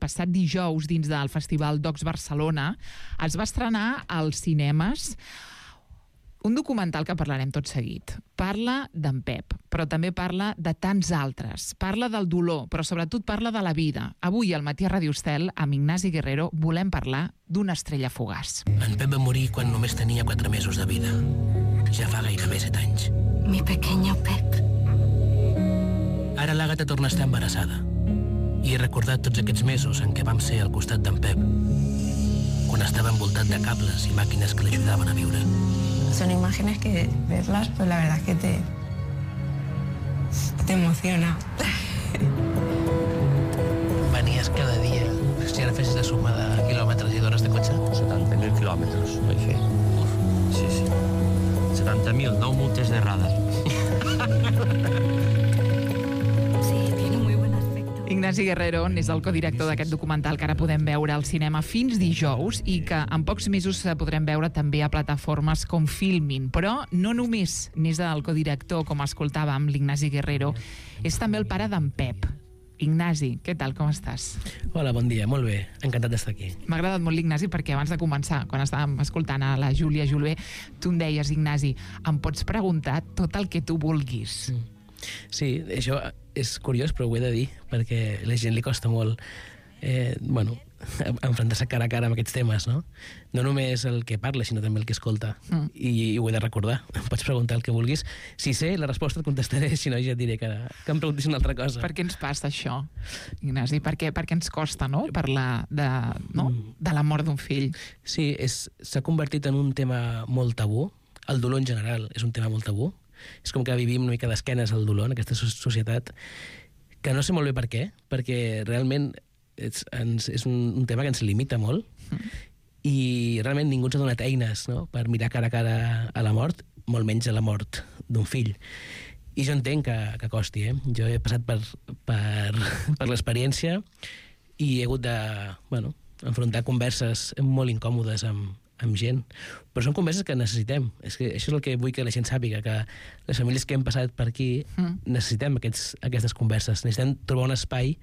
passat dijous dins del Festival Docs Barcelona, es va estrenar als cinemes un documental que parlarem tot seguit. Parla d'en Pep, però també parla de tants altres. Parla del dolor, però sobretot parla de la vida. Avui, al Matí a Ràdio Estel, amb Ignasi Guerrero, volem parlar d'una estrella fugaç. En Pep va morir quan només tenia 4 mesos de vida. Ja fa gairebé 7 anys. Mi pequeño Pep. Ara l'Àgata torna a estar embarassada. I he recordat tots aquests mesos en què vam ser al costat d'en Pep, quan estava envoltat de cables i màquines que l'ajudaven a viure. Son imágenes que verlas, pues la verdad es que te emociona. Venies cada dia, si ara fessis la suma de quilòmetres i d'hores de cotxe? 70.000 quilòmetres vaig fer. Sí. 70.000, no multes errades. Ignasi Guerrero és el codirector d'aquest documental que ara podem veure al cinema fins dijous i que en pocs mesos podrem veure també a plataformes com Filmin. Però no només n'és el codirector, com escoltàvem, l'Ignasi Guerrero, és també el pare d'en Pep. Ignasi, què tal, com estàs? Hola, bon dia, molt bé, encantat d'estar aquí. M'ha agradat molt l'Ignasi perquè abans de començar, quan estàvem escoltant a la Júlia Jolvé, tu em deies, Ignasi, em pots preguntar tot el que tu vulguis. Sí, això és curiós, però ho he de dir, perquè a la gent li costa molt enfrontar-se cara a cara amb aquests temes, no? No només el que parla, sinó també el que escolta. I ho he de recordar. Em pots preguntar el que vulguis. Si sé la resposta et contestaré, si no ja et diré que em preguntis una altra cosa. Per què ens passa això, Ignasi? Per què ens costa, no?, parlar de la mort d'un fill? Sí, s'ha convertit en un tema molt tabú. El dolor en general és un tema molt tabú. És com que vivim una mica d'esquenes al dolor en aquesta societat, que no sé molt bé per què, perquè realment és un tema que ens limita molt i realment ningú ens ha donat eines, no?, per mirar cara a cara a la mort, molt menys a la mort d'un fill. I jo entenc que costi, Jo he passat per l'experiència i he hagut de enfrontar converses molt incòmodes amb gent, però són converses que necessitem. És que això és el que vull que la gent sàpiga, que les famílies que hem passat per aquí necessitem aquestes converses, necessitem trobar un espai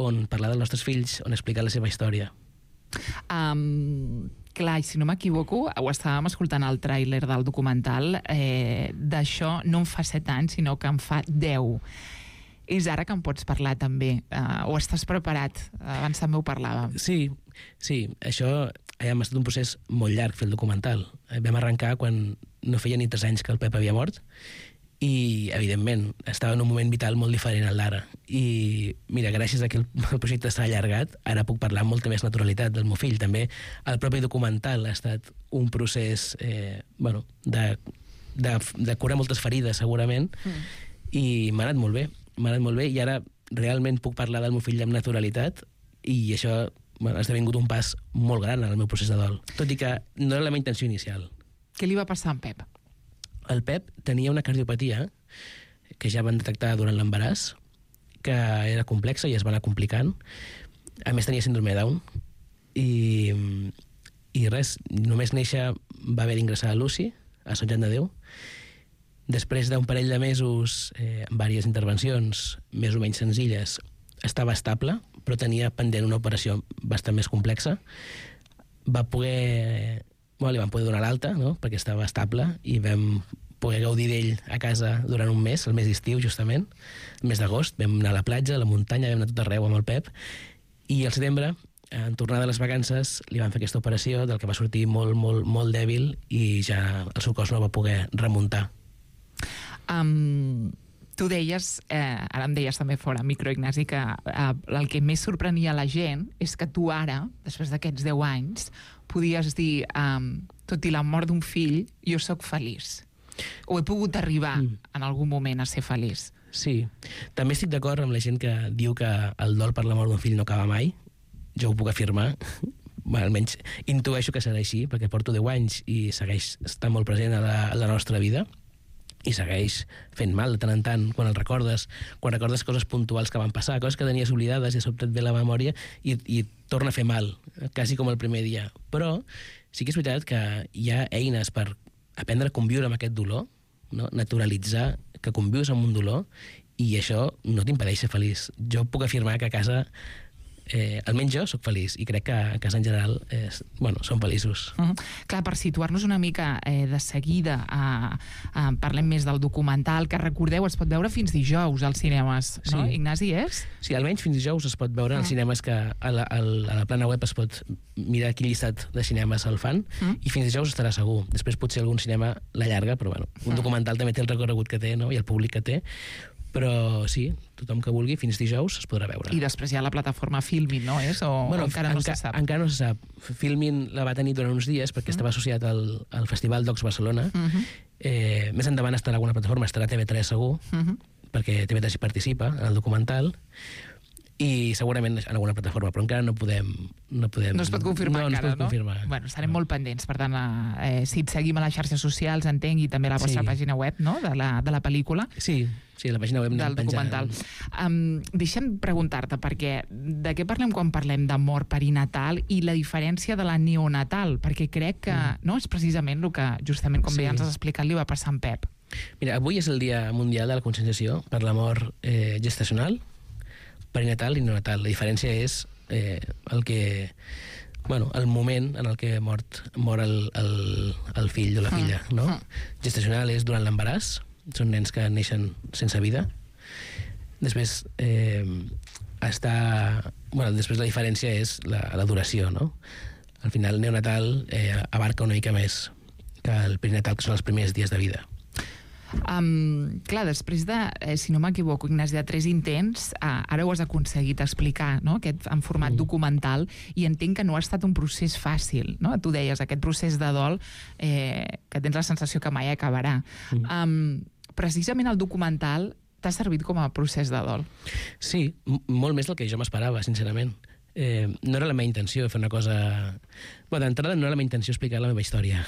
on parlar dels nostres fills, on explicar la seva història. Clar, i si no m'equivoco, ho estàvem escoltant al tràiler del documental, d'això no en fa 7 anys, sinó que en fa 10. És ara que en pots parlar també, o estàs preparat? Abans també ho parlàvem. Sí, això ha estat un procés molt llarg fer el documental. Vam arrencar quan no feia ni 3 anys que el Pep havia mort i, evidentment, estava en un moment vital molt diferent al d'ara. I, mira, gràcies a que el projecte s'ha allargat, ara puc parlar amb molta més naturalitat del meu fill. També el propi documental ha estat un procés de curar moltes ferides, segurament, i m'ha anat molt bé. I ara realment puc parlar del meu fill amb naturalitat i això ha esdevingut un pas molt gran en el meu procés de dol, tot i que no era la meva intenció inicial. Què li va passar a en Pep? El Pep tenia una cardiopatia que ja van detectar durant l'embaràs, que era complexa i es va anar complicant. A més tenia síndrome de Down i res, només néixer va haver d'ingressar a l'UCI, a Sant Joan de Déu. Després d'un parell de mesos, amb diverses intervencions més o menys senzilles, estava estable, però tenia pendent una operació bastant més complexa. Li van poder donar l'alta, no?, perquè estava estable, i vam poder gaudir d'ell a casa durant un mes, el mes d'estiu, justament, el mes d'agost. Vam anar a la platja, a la muntanya, vam anar tot arreu amb el Pep, i al setembre, en tornar de les vacances, li van fer aquesta operació, del que va sortir molt, molt, molt dèbil, i ja el seu cos no va poder remuntar. Tu deies, ara em deies també fora micro, Ignasi, que el que més sorprenia la gent és que tu ara, després d'aquests 10 anys, podies dir, tot i la mort d'un fill, jo sóc feliç. O he pogut arribar en algun moment a ser feliç. Sí, també estic d'acord amb la gent que diu que el dol per la mort d'un fill no acaba mai. Jo ho puc afirmar, almenys intueixo que serà així, perquè porto 10 anys i segueix estant molt present a la nostra vida, i segueix fent mal de tant en tant quan el recordes, quan recordes coses puntuals que van passar, coses que tenies oblidades i a sobte et ve la memòria i torna a fer mal, quasi com el primer dia. Però sí que és veritat que hi ha eines per aprendre a conviure amb aquest dolor, no? Naturalitzar que convius amb un dolor, i això no t'impedeix ser feliç. Jo puc afirmar que a casa almenys jo sóc feliç i crec que a casa en general són feliços. Clar, per situar-nos una mica de seguida, parlem més del documental, que recordeu, es pot veure fins dijous als cinemes, no? Sí. Ignasi, és? Sí, almenys fins dijous es pot veure als cinemes, que a la plana web es pot mirar quin llistat de cinemes el fan, i fins dijous estarà segur. Després potser algun cinema l'allarga, però bueno, un documental també té el recorregut que té, no? I el públic que té, però sí, tothom que vulgui, fins dijous es podrà veure. I després hi ha la plataforma Filmin, no és? O encara no se sap? Encara no se sap. Filmin la va tenir durant uns dies perquè estava associat al Festival Docs Barcelona. Més endavant estarà alguna plataforma, estarà TV3 segur, perquè TV3 hi participa en el documental, i segurament en alguna plataforma, però encara no podem... No es pot confirmar encara, no? Confirmar. Bueno, estarem molt pendents, per tant, si et seguim a les xarxes socials, entenc, i també a la vostra pàgina web, no?, de la pel·lícula. Sí, la pàgina web del documental. Deixa'm preguntar-te, perquè de què parlem quan parlem de mort perinatal i la diferència de la neonatal? Perquè crec que no és precisament el que, justament, com bé ens has explicat, li va passar a en Pep. Mira, avui és el Dia Mundial de la Conscienciació per la mort gestacional, perinatal i neonatal. La diferència és el moment en el que mor el fill o la filla, no? Gestacional és durant l'embaràs, són nens que neixen sense vida. Després després la diferència és la duració, no? Al final, neonatal abarca una mica més que el perinatal, que són els primers dies de vida. Clar, després de, si no m'equivoco, Ignasi, de 3 intents, ara ho has aconseguit explicar, no?, en format documental, i entenc que no ha estat un procés fàcil, no? Tu deies, aquest procés de dol que tens la sensació que mai acabarà. Precisament el documental t'ha servit com a procés de dol. Sí, molt més del que jo m'esperava, sincerament. No era la meva intenció fer una cosa... d'entrada no era la meva intenció explicar la meva història.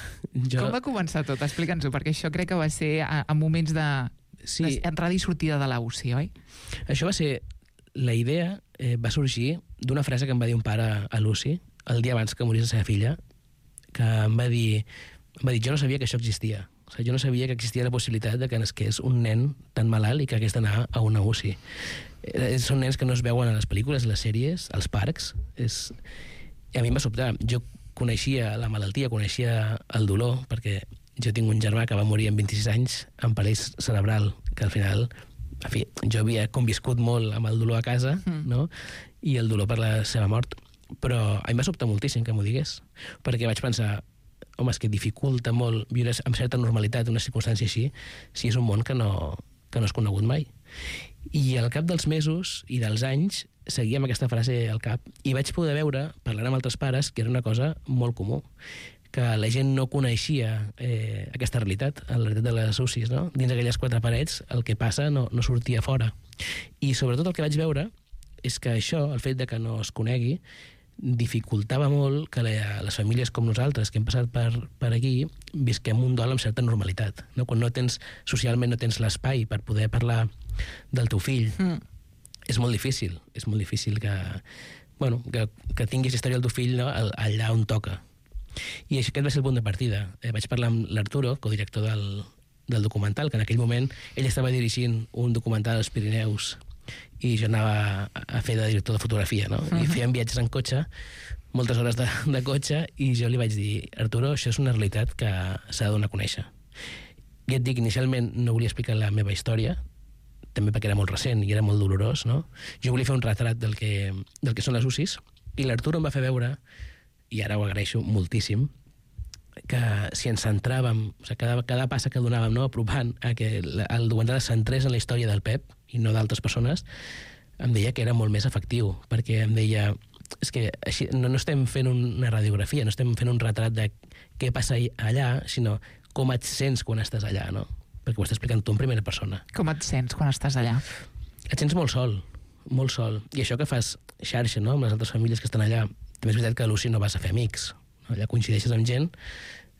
Com va començar tot? Explica'ns-ho, perquè això crec que va ser a moments d'entrada i sortida de la UCI, oi? Això va ser... La idea va sorgir d'una frase que em va dir un pare a l'UCI el dia abans que morís la seva filla, que em va dir jo no sabia que això existia. O sigui, jo no sabia que existia la possibilitat de que nasqués un nen tan malalt i que hagués d'anar a una UCI. Són nens que no es veuen a les pel·lícules, a les sèries, als parcs. I a mi em va sobtar. Jo coneixia la malaltia, coneixia el dolor, perquè jo tinc un germà que va morir amb 26 anys amb paràlisi cerebral, que al final, en fi, jo havia conviscut molt amb el dolor a casa, no?, i el dolor per la seva mort. Però a mi em va sobtar moltíssim que m'ho digués, perquè vaig pensar, home, és que dificulta molt viure amb certa normalitat una circumstància així, si és un món que no has conegut mai. I al cap dels mesos i dels anys seguia amb aquesta frase al cap i vaig poder veure, parlant amb altres pares, que era una cosa molt comú, que la gent no coneixia aquesta realitat, la realitat de les UCIs, no? Dins aquelles 4 parets el que passa no sortia fora. I sobretot el que vaig veure és que això, el fet de que no es conegui, dificultava molt que les famílies com nosaltres, que hem passat per aquí, visquem un dol amb certa normalitat, no? Quan socialment no tens l'espai per poder parlar del teu fill, és molt difícil que tinguis història del teu fill, no?, allà on toca. I aquest va ser el punt de partida. Vaig parlar amb l'Arturo, codirector del documental, que en aquell moment ell estava dirigint un documental als Pirineus i jo anava a fer de director de fotografia, no? I fèiem viatges en cotxe, moltes hores de cotxe, i jo li vaig dir, Arturo, això és una realitat que s'ha de donar a conèixer. I et dic, inicialment no volia explicar la meva història, també perquè era molt recent i era molt dolorós, no? Jo volia fer un retrat del que són les UCIs, i l'Arturo em va fer veure, i ara ho agraeixo moltíssim, que si ens centràvem, o sigui, cada passa que donàvem, no?, apropant a que el documental es centrés en la història del Pep i no d'altres persones, em deia que era molt més efectiu, perquè em deia, és que així, no estem fent una radiografia, no estem fent un retrat de què passa allà, sinó com et sents quan estàs allà, no? Perquè ho estàs explicant tu en primera persona. Com et sents quan estàs allà? Et sents molt sol, molt sol. I això que fas xarxa, no?, amb les altres famílies que estan allà, també és veritat que a l'UCI no vas a fer amics, no? Allà coincideixes amb gent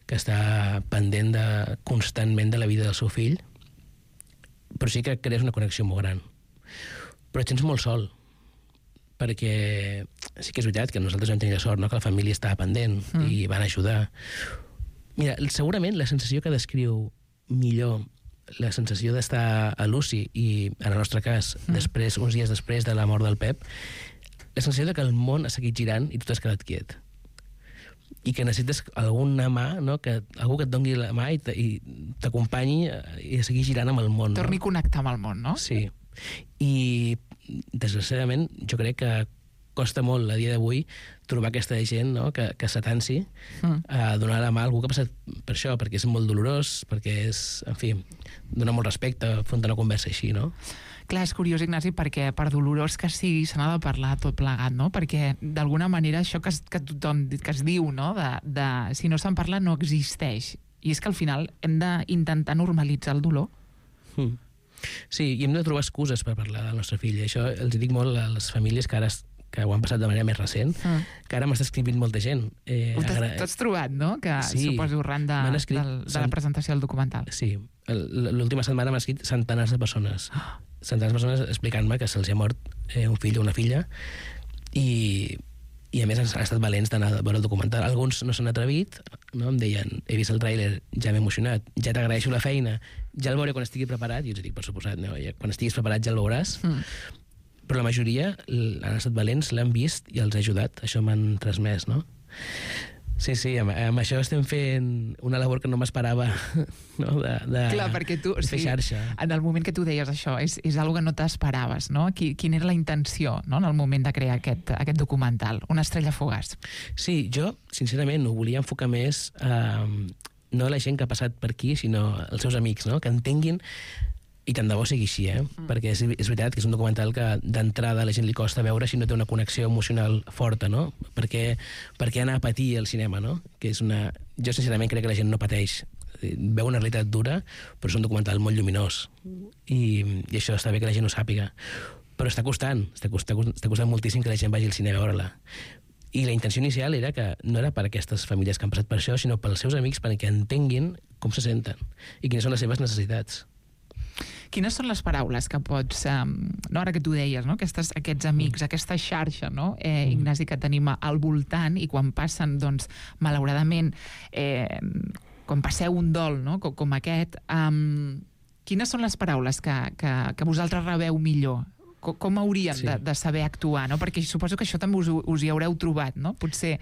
que està pendent constantment de la vida del seu fill, però sí que crees una connexió molt gran. Però et sents molt sol, perquè sí que és veritat que nosaltres vam tenir la sort, no?, que la família estava pendent i van ajudar. Mira, segurament la sensació que descriu millor la sensació d'estar a l'UCI i, en el nostre cas, uns dies després de la mort del Pep, la sensació que el món ha seguit girant i tu t'has quedat quiet. I que necessites alguna mà, no? Algú que et doni la mà i t'acompanyi i a seguir girant amb el món. Torni a connectar amb el món, no? Sí. I, desgraciadament, jo crec que costa molt a dia d'avui trobar aquesta gent, no? que s'atansi a donar la mà a algú que ha passat per això, perquè és molt dolorós, perquè és, en fi, dona molt respecte afrontar una conversa així, no? Clar, és curiós, Ignasi, perquè per dolorós que sigui se n'ha de parlar tot plegat, no? Perquè d'alguna manera això que tothom que es diu, no? De si no se'n parla no existeix. I és que al final hem d'intentar normalitzar el dolor. Sí, i hem de trobar excuses per parlar del nostre fill. Això els dic molt a les famílies que ho han passat de manera més recent, que ara m'està escrivint molta gent. T'has trobat, no? Que sí, suposo arran de la presentació del documental. Sí, l'última setmana m'ha escrit centenars de persones. Centenars de persones explicant-me que se'ls ha mort un fill o una filla i a més han estat valents d'anar a veure el documental. Alguns no s'han atrevit, no? Em deien, he vist el tràiler, ja m'he emocionat, ja t'agraeixo la feina, ja el veuré quan estigui preparat, i jo els dic, per suposat, no? Quan estiguis preparat ja el veuràs. Però la majoria han estat valents, l'han vist i els ha ajudat. Això m'han transmès, no? Sí, amb això estem fent una labor que no m'esperava, no? Clar, perquè tu, fer xarxa. En el moment que tu deies això, és una que no t'esperaves, no? Quina era la intenció, no? En el moment de crear aquest documental, Una estrella fugaç. Sí, jo, sincerament, ho volia enfocar més no a la gent que ha passat per aquí, sinó als seus amics, no? Que entenguin. I tant de bo sigui així, perquè és veritat que és un documental que d'entrada a la gent li costa veure si no té una connexió emocional forta, no? Perquè anar a patir al cinema, no? Que és jo sincerament crec que la gent no pateix, veu una realitat dura, però és un documental molt lluminós i això està bé que la gent ho sàpiga, però està costant moltíssim que la gent vagi al cine a veure-la. I la intenció inicial era que no era per aquestes famílies que han passat per això, sinó pels seus amics, perquè entenguin com se senten i quines són les seves necessitats. Quines són les paraules que pots, no, ara que tu deies, no? Aquests amics, aquesta xarxa, no? Ignasi, que tenim al voltant, i quan passen, doncs, malauradament, quan passeu un dol, no? Com aquest, quines són les paraules que vosaltres rebeu millor? Com hauríem de saber actuar, no? Perquè suposo que això també us hi haureu trobat, no? Potser...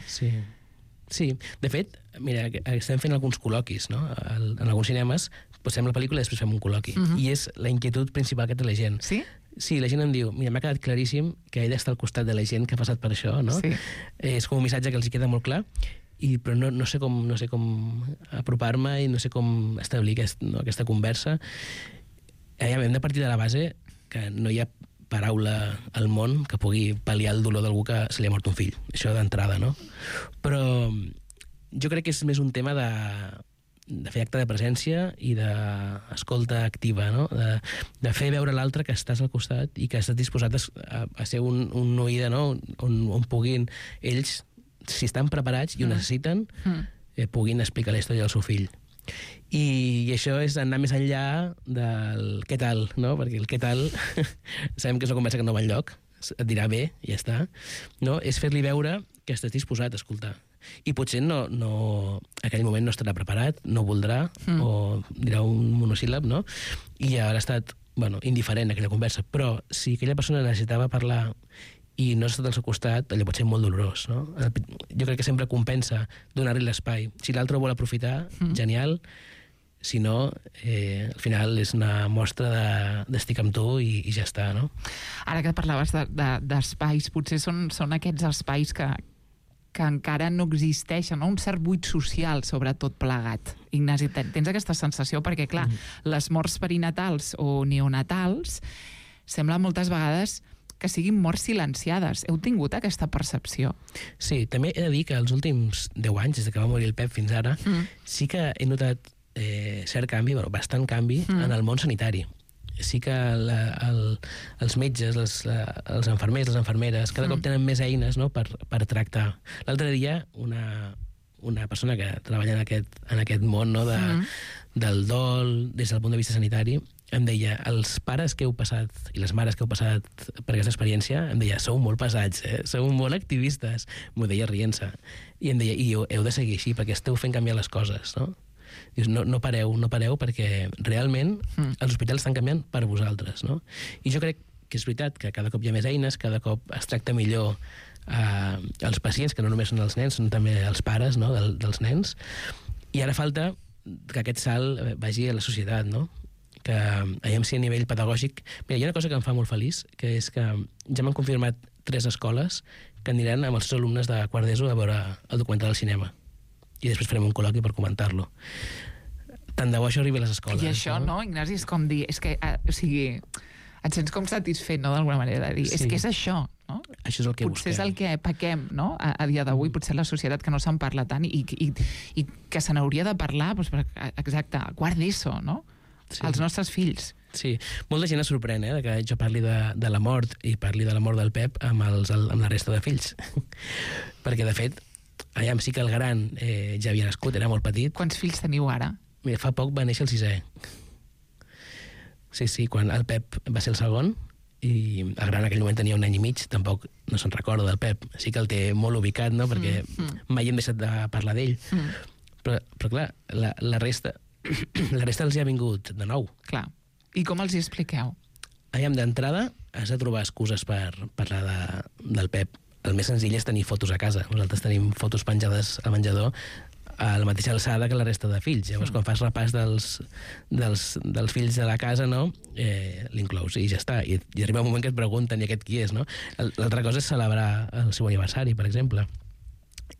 Sí, de fet, mira, estem fent alguns col·loquis, no? En alguns cinemes posem la pel·lícula i després fem un col·loqui. I és la inquietud principal que té la gent. Sí? Sí, la gent em diu, mira, m'ha quedat claríssim que he d'estar al costat de la gent que ha passat per això, no? Sí. És com un missatge que els hi queda molt clar, però no sé com apropar-me i no sé com establir aquesta conversa. Hem de partir de la base que no hi ha paraula al món que pugui pal·liar el dolor d'algú que se li ha mort un fill. Això d'entrada, no? Però jo crec que és més un tema de fer acte de presència i d'escolta activa, no? De fer veure l'altre que estàs al costat i que estàs disposat a ser un oïda, no? On puguin ells, si estan preparats i ho necessiten, puguin explicar la història del seu fill. I això és anar més enllà del què tal, no? Perquè el què tal sabem que és una conversa que no va enlloc, et dirà bé i ja està, no? És fer-li veure que estàs disposat a escoltar. I potser no en aquell moment no estarà preparat, no voldrà, o dirà un monosíl·lab, no? I ja haurà estat indiferent a aquella conversa. Però si aquella persona necessitava parlar i no has estat al seu costat, allò pot ser molt dolorós, no? Jo crec que sempre compensa donar-li l'espai. Si l'altre vol aprofitar, genial. Si no, al final és una mostra d'estic amb tu i ja està, no? Ara que parlaves d'espais, potser són aquests espais que encara no existeixen, no? Un cert buit social sobre tot plegat. Ignasi, tens aquesta sensació? Perquè, clar, les morts perinatals o neonatals semblen moltes vegades que siguin morts silenciades. Heu tingut aquesta percepció? Sí, també he de dir que els últims 10 anys, des que va morir el Pep fins ara, sí que he notat cert canvi, bastant canvi, en el món sanitari. Sí que els metges, els infermers, les infermeres, cada cop tenen més eines, no?, per tractar. L'altre dia, una persona que treballa en aquest món, no?, del dol, des del punt de vista sanitari, em deia, els pares que heu passat i les mares que heu passat per aquesta experiència, em deia, sou molt pesats, sou molt activistes. M'ho deia rient-se. I em deia, i heu de seguir així, perquè esteu fent canviar les coses, no? Dius, no pareu, perquè realment els hospitals estan canviant per vosaltres, no? I jo crec que és veritat que cada cop hi ha més eines, cada cop es tracta millor els pacients, que no només són els nens, són també els pares, no?, dels nens, i ara falta que aquest salt vagi a la societat, no?, que aviam si a nivell pedagògic... Mira, hi ha una cosa que em fa molt feliç, que és que ja m'han confirmat 3 escoles que aniran amb els seus alumnes de quart d'ESO a veure el documental al cinema. I després farem un col·loqui per comentar-lo. Tant de bo això arribi a les escoles. I això, no, Ignasi, és com dir... És que, o sigui, et sents com satisfet, no?, d'alguna manera, de dir, és que és això, no? Això és el que potser busquem. és el que pequem, no?, a dia d'avui, potser la societat que no se'n parla tant i que se n'hauria de parlar, doncs, exacte, quart d'ESO, no?, els nostres fills. Sí, molta gent es sorprèn, que jo parli de la mort i parli de la mort del Pep amb la resta de fills. Perquè, de fet, aviam, sí que el gran ja havia nascut, era molt petit. Quants fills teniu ara? Mira, fa poc va néixer el 6è. Sí, quan el Pep va ser el segon, i el gran en aquell moment tenia 1 any i mig, tampoc no se'n recorda del Pep. Sí que el té molt ubicat, no?, perquè mai hem deixat de parlar d'ell. Però clar, la resta els hi ha vingut de nou. Clar. I com els hi expliqueu? Aviam, d'entrada has de trobar excuses per parlar del Pep. El més senzill és tenir fotos a casa. Nosaltres tenim fotos penjades al menjador a la mateixa alçada que la resta de fills. Llavors, quan fas repàs dels fills de la casa, no, l'inclous i ja està. I arriba un moment que et pregunten i aquest qui és, no? L'altra cosa és celebrar el seu aniversari, per exemple.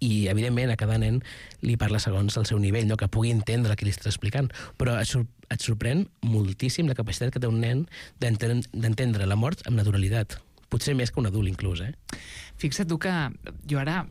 I, evidentment, a cada nen li parla segons el seu nivell, no?, que pugui entendre el que li estàs explicant. Però et sorprèn moltíssim la capacitat que té un nen d'entendre la mort amb naturalitat. Potser més que un adult, inclús, Fixa't tu que jo ara,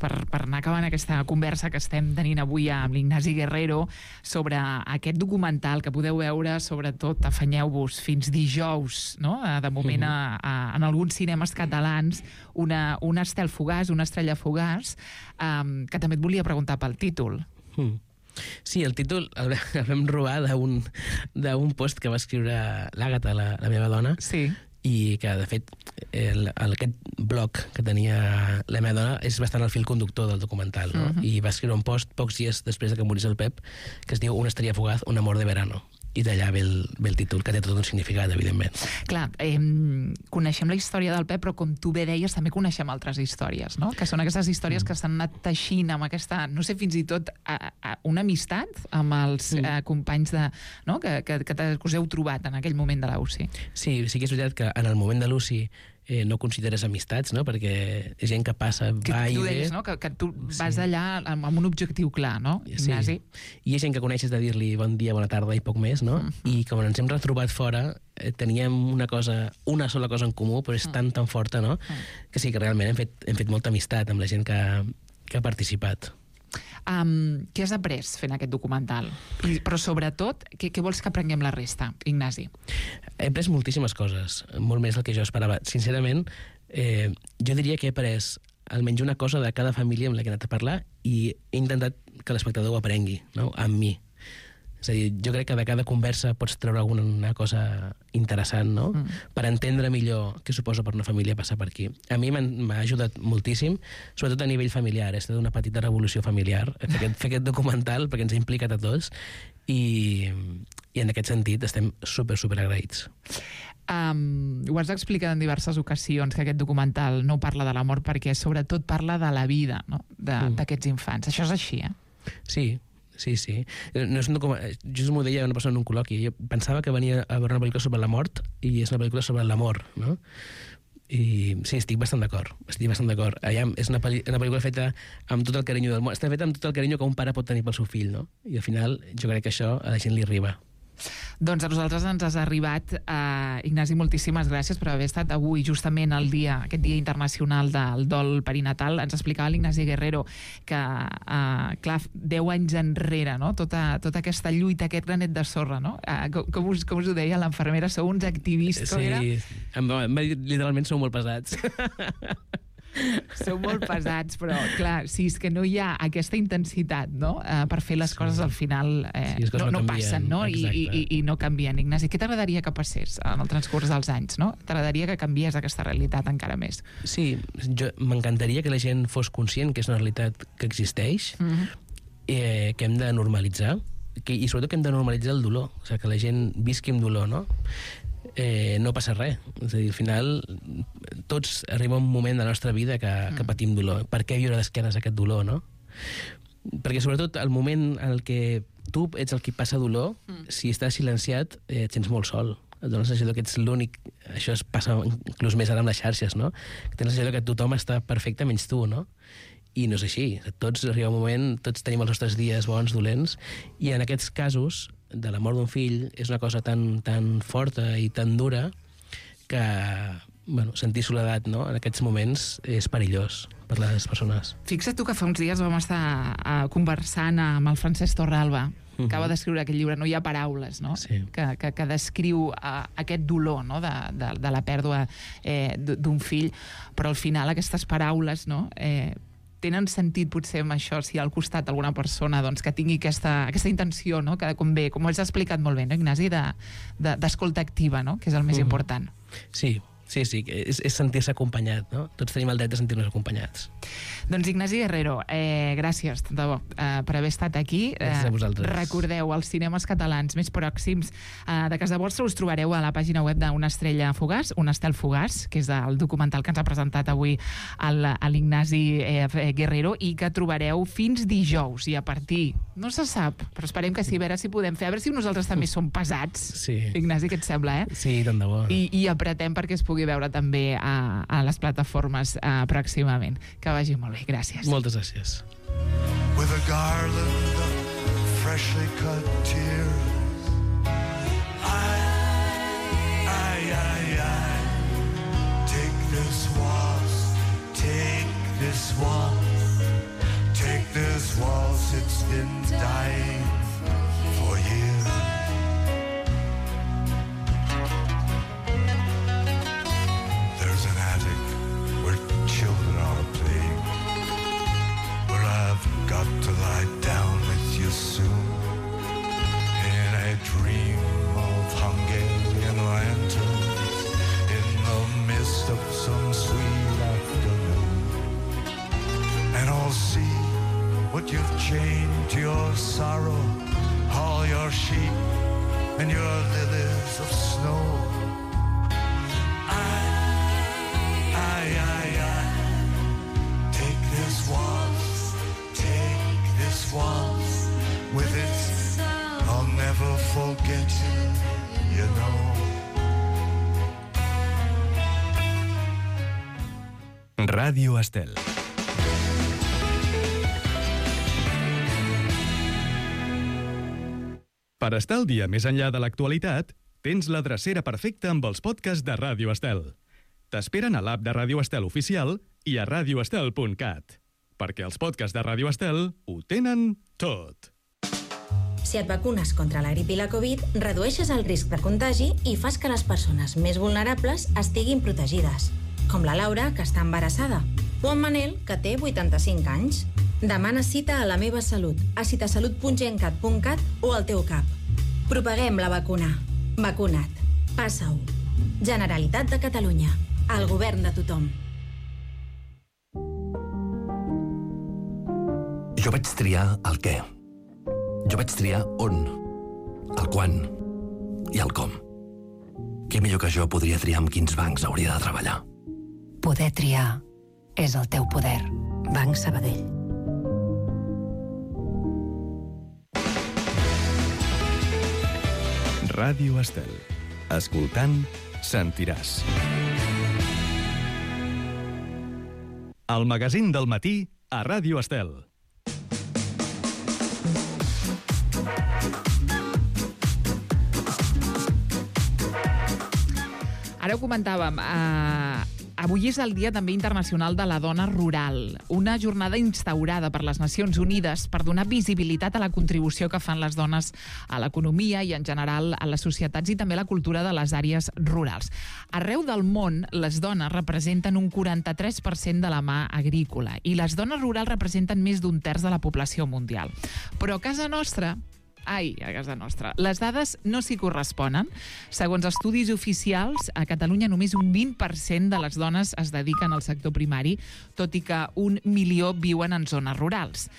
per anar acabant aquesta conversa que estem tenint avui amb l'Ignasi Guerrero sobre aquest documental que podeu veure, sobretot, afanyeu-vos, fins dijous, no?, de moment en alguns cinemes catalans, una estel fugaç, una estrella fugaç, que també et volia preguntar pel títol. Sí, el títol el vam robar d'un post que va escriure l'Àgata, la meva dona, sí, i que, de fet, aquest blog que tenia la meva dona és bastant el fil conductor del documental, no? I va escriure un post pocs dies després de que morís el Pep que es diu Una estrella fugaz, un amor de verano. I d'allà ve el títol, que té tot un significat, evidentment. Clar, coneixem la història del Pep, però com tu bé deies, també coneixem altres històries, no?, que són aquestes històries que s'han anat teixint amb aquesta, no sé, fins i tot una amistat amb els companys no?, que us heu trobat en aquell moment de la UCI. Sí que és veritat que en el moment de l'UCI no consideres amistats, no?, perquè és gent que passa, va i ve. Tu deies, no?, que tu vas allà amb un objectiu clar, no, Ignasi? Sí. I hi ha gent que coneixes de dir-li bon dia, bona tarda i poc més, no? I com ens hem retrobat fora, teníem una sola cosa en comú, però és tan forta, no?, que sí que realment hem fet molta amistat amb la gent que ha participat. Què has après fent aquest documental? Però sobretot, què vols que aprenguem la resta, Ignasi? He après moltíssimes coses, molt més del que jo esperava. Sincerament, jo diria que he après almenys una cosa de cada família amb la que he anat a parlar i he intentat que l'espectador ho aprengui, no?, amb mi. És a dir, jo crec que de cada conversa pots treure alguna cosa interessant, no?, per entendre millor què suposa per una família passar per aquí. A mi m'ha ajudat moltíssim, sobretot a nivell familiar. Ha estat una petita revolució familiar fer aquest documental, perquè ens ha implicat a tots, i en aquest sentit estem super agraïts. Ho has explicat en diverses ocasions, que aquest documental no parla de la mort, perquè sobretot parla de la vida, no?, d'aquests infants. Això és així, Sí. No és un documental. Jo m'ho deia una persona en un col·loqui. Jo pensava que venia a veure una pel·lícula sobre la mort i és una pel·lícula sobre l'amor, no? I sí, estic bastant d'acord. És una pel·lícula feta amb tot el carinyo del món. Està feta amb tot el carinyo que un pare pot tenir pel seu fill, no? I al final jo crec que això a la gent li arriba. Doncs a nosaltres ens has arribat. Ignasi, moltíssimes gràcies per haver estat avui justament aquest dia internacional del dol perinatal. Ens explicava l'Ignasi Guerrero que, clar, 10 anys enrere, no?, tota aquesta lluita, aquest granet de sorra, no? Com us ho deia l'enfermera? Sou uns activistes, era? Sí, em va dir, literalment sou molt pesats. Sou molt pesats, però clar, sí, és que no hi ha aquesta intensitat, no?, per fer les coses al final no passen, no?, i no canvien. Ignasi, què t'agradaria que passés en el transcurs dels anys, no? T'agradaria que canviés aquesta realitat encara més? Sí, m'encantaria que la gent fos conscient que és una realitat que existeix, que hem de normalitzar, i sobretot que hem de normalitzar el dolor, o sigui, que la gent visqui amb dolor, no? no passa res. És a dir, al final, tots arriba un moment de la nostra vida que patim dolor. Per què viure d'esquenes aquest dolor, no? Perquè, sobretot, el moment en el que tu ets el qui passa dolor, si estàs silenciat, et sents molt sol. Et dona la sensació que ets l'únic... Això es passa inclús més ara amb les xarxes, no? Que tens la sensació que tothom està perfecte menys tu, no? I no és així. Tots arriba un moment, tots tenim els nostres dies bons, dolents, i en aquests casos, de la mort d'un fill, és una cosa tan forta i tan dura que, bueno, sentir soledat, no?, en aquests moments és perillós per les persones. Fixa't tu que fa uns dies vam estar conversant amb el Francesc Torralba, que acaba d'escriure aquest llibre, No hi ha paraules, no? Sí. Que descriu aquest dolor, no?, de la pèrdua d'un fill, però al final aquestes paraules, no?, tenen sentit potser amb això, si al costat alguna persona doncs, que tingui aquesta intenció, no?, que com ho has explicat molt bé, no, Ignasi, d'escolta activa, no?, que és el més important. Sí, és sentir-se acompanyat, no? Tots tenim el dret de sentir-nos acompanyats. Doncs Ignasi Guerrero, gràcies, de debò, per haver estat aquí. Gràcies a vosaltres. Recordeu, els cinemes catalans més pròxims de casa vostra us trobareu a la pàgina web d'Una estrella fugaç, Un estel fugaç, que és el documental que ens ha presentat avui l'Ignasi Guerrero, i que trobareu fins dijous, i a partir, no se sap, però esperem que sí, a veure si podem fer, a veure si nosaltres també som pesats. Sí. Ignasi, què et sembla, Sí, tant de bo. I apretem perquè es pugui veure també a les plataformes pròximament. Que vagi molt bé, gràcies. Moltes gràcies. With a garland of freshly cut tears, I take this waltz, take this waltz, it's been dying for years. There's an attic where children are playing, where I've got to lie down with you soon, in a dream of Hungarian lanterns, in the mist of some sweet afternoon. And I'll see what you've chained to your sorrow, all your sheep and your lilies of snow. Take this waltz, with it I'll never forget you know. Ràdio Estel. Per estar al dia més enllà de l'actualitat, tens la drecera perfecta amb els podcasts de Ràdio Estel. T'esperen a l'app de Ràdio Estel oficial i a radioestel.cat. Perquè els podcasts de Ràdio Estel ho tenen tot. Si et vacunes contra la grip i la Covid, redueixes el risc de contagi i fas que les persones més vulnerables estiguin protegides, com la Laura, que està embarassada, o en Manel, que té 85 anys. Demana cita a La Meva Salut, a citasalut.gencat.cat o al teu CAP. Propaguem la vacuna. Vacuna't. Passa-ho. Generalitat de Catalunya. El govern de tothom. Jo vaig triar el què. Jo vaig triar on, el quan i el com. Què millor que jo podria triar amb quins bancs hauria de treballar? Poder triar és el teu poder. Banc Sabadell. Ràdio Estel. Escoltant, sentiràs. El magazín del matí a Ràdio Estel. Ara ho comentàvem, avui és el Dia també internacional de la dona rural, una jornada instaurada per les Nacions Unides per donar visibilitat a la contribució que fan les dones a l'economia i en general a les societats i també a la cultura de les àrees rurals. Arreu del món, les dones representen un 43% de la mà agrícola i les dones rurals representen més d'un terç de la població mundial. Però a casa nostra, les dades no s'hi corresponen. Segons estudis oficials, a Catalunya només un 20% de les dones es dediquen al sector primari, tot i que 1 milió viuen en zones rurals.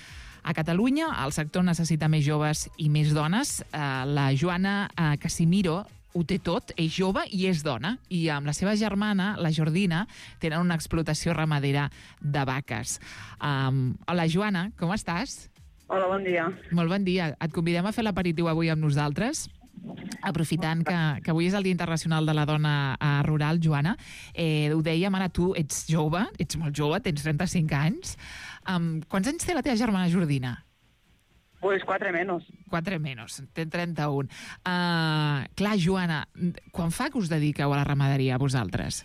A Catalunya, el sector necessita més joves i més dones. La Joana Casimiro ho té tot, és jove i és dona. I amb la seva germana, la Jordina, tenen una explotació ramadera de vaques. Hola, Joana, com estàs? Hola, bon dia. Molt bon dia. Et convidem a fer l'aperitiu avui amb nosaltres, aprofitant que avui és el Dia Internacional de la Dona Rural, Joana. Ho dèiem, ara tu ets jove, ets molt jove, tens 35 anys. Quants anys té la teva germana Jordina? Pues 4 menos. 4 menos, té 31. Clar, Joana, quan fa que us dediqueu a la ramaderia, vosaltres?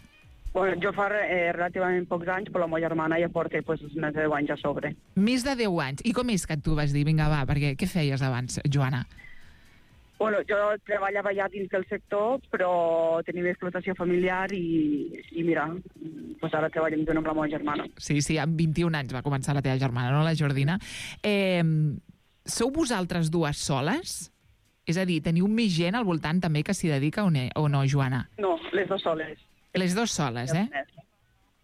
Bueno, jo fa relativament pocs anys, però la meva germana ja porta pues, més de 10 anys a sobre. Més de 10 anys. I com és que tu vas dir, vinga, va, perquè què feies abans, Joana? Bueno, jo treballava ja dins del sector, però tenim explotació familiar i mira, pues ara treballem junt amb la meva germana. Sí, amb 21 anys va començar la teva germana, no, la Jordina? Sou vosaltres dues soles? És a dir, teniu més gent al voltant també que s'hi dedica o no, Joana? No, les dues soles. Les dues soles,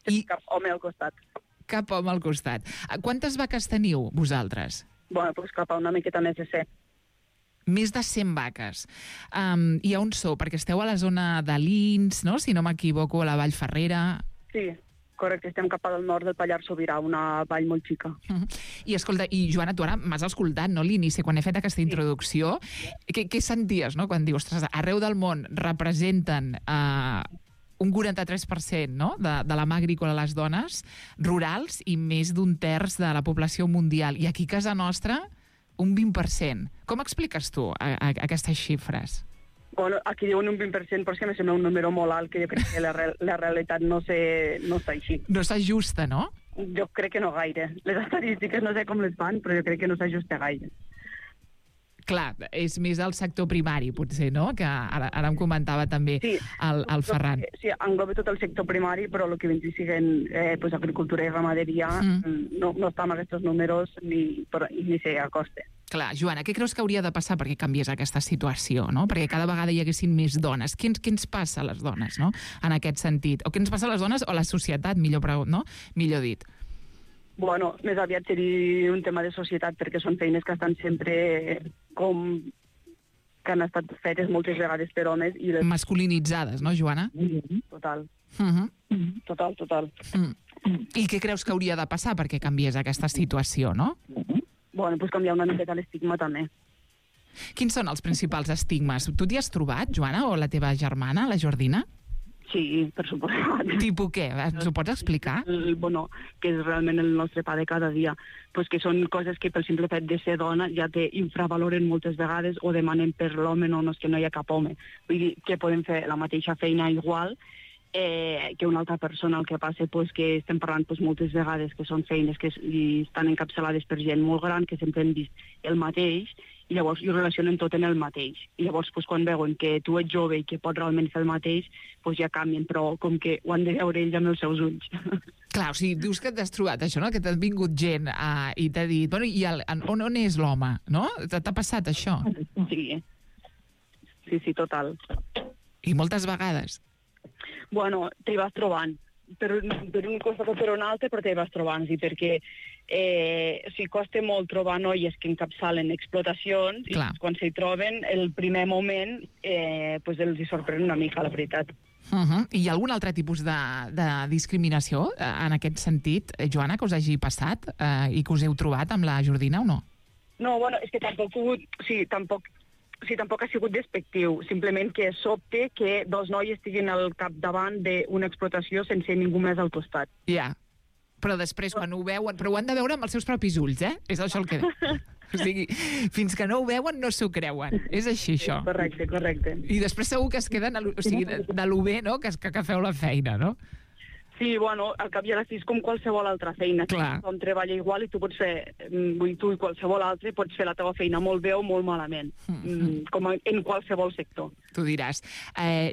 I cap home al costat. Cap home al costat. Quantes vaques teniu, vosaltres? Bueno, pues cap a una miqueta més de 100. Més de 100 vaques. I on sou? Perquè esteu a la zona de Lins, no? Si no m'equivoco, a la Vall Ferrera. Sí, correcte. Estem cap al nord del Pallars Sobirà, una vall molt xica. I escolta, Joana, tu ara m'has escoltat, no, l'inici, quan he fet aquesta introducció. Què senties, no?, quan dius, ostres, arreu del món representen un 43%, no?, de la mà agrícola a les dones rurals i més d'un terç de la població mundial. I aquí a casa nostra, un 20%. Com expliques tu aquestes xifres? Bueno, aquí diuen un 20%, però és que me sembla un número molt alt, que jo crec que la realitat no està així. No s'ajusta, no? Jo crec que no gaire. Les estadístiques no sé com les fan, però jo crec que no s'ajusta gaire. Clar, és més el sector primari, potser, no? Que ara em comentava també el Ferran. Sí, engloba tot el sector primari, però el que vindria sent pues, agricultura i ramaderia no està en aquests números ni s'hi acosta. Clar, Joana, què creus que hauria de passar perquè canviés aquesta situació, no? Perquè cada vegada hi haguessin més dones. Què ens passa a les dones, no?, en aquest sentit? O què ens passa a les dones o a la societat, millor dit? Bueno, més aviat seria un tema de societat, perquè són feines que estan sempre que han estat fetes moltes vegades per homes. Masculinitzades, no, Joana? Total. Total. I què creus que hauria de passar perquè canviés aquesta situació, no? Bueno, doncs canviar una miqueta l'estigma també. Quins són els principals estigmes? Tu t'hi has trobat, Joana, o la teva germana, la Jordina? Sí, per suposat. Tipo què? Ens ho pots explicar? Bueno, que és realment el nostre pa de cada dia. Pues que són coses que pel simple fet de ser dona ja te infravaloren moltes vegades o demanen per l'home, no és que no hi ha cap home. Vull dir que podem fer la mateixa feina igual que una altra persona. El que passa pues, que estem parlant pues, moltes vegades que són feines que estan encapçalades per gent molt gran, que sempre hem vist el mateix, i llavors ho relacionen tot en el mateix. I llavors, pues, quan veuen que tu ets jove i que pots realment fer el mateix, pues, ja canvien, però com que ho han de veure ells amb els seus ulls. Clar, o sigui, dius que t'has trobat això, no?, que t'ha vingut gent i t'ha dit, bueno, i on és l'home, no? T'ha passat això? Sí, total. I moltes vegades? Bueno, t'hi vas trobant. Per un costat o per un altre, però t'hi vas trobant, sí, perquè costa molt trobar noies que encapçalen explotacions i quan s'hi troben, el primer moment pues els hi sorprèn una mica, la veritat. I hi ha algun altre tipus de discriminació en aquest sentit, Joana, que us hagi passat i que us heu trobat amb la Jordina o no? No, bueno, és que tampoc ha sigut despectiu, simplement que sobte que dos noies estiguin al capdavant d'una explotació sense ningú més al costat. Ja, però després quan ho veuen, però ho han de veure amb els seus propis ulls, És això el que... O sigui, fins que no ho veuen no s'ho creuen. És així, això. Correcte. I després segur que es queden de lo bé, no?, que feu la feina, no? Sí, bueno, al cap i a la fi és com qualsevol altra feina. Tothom treballa igual i tu i qualsevol altre pots fer la teva feina molt bé o molt malament, com en qualsevol sector. Tu diràs.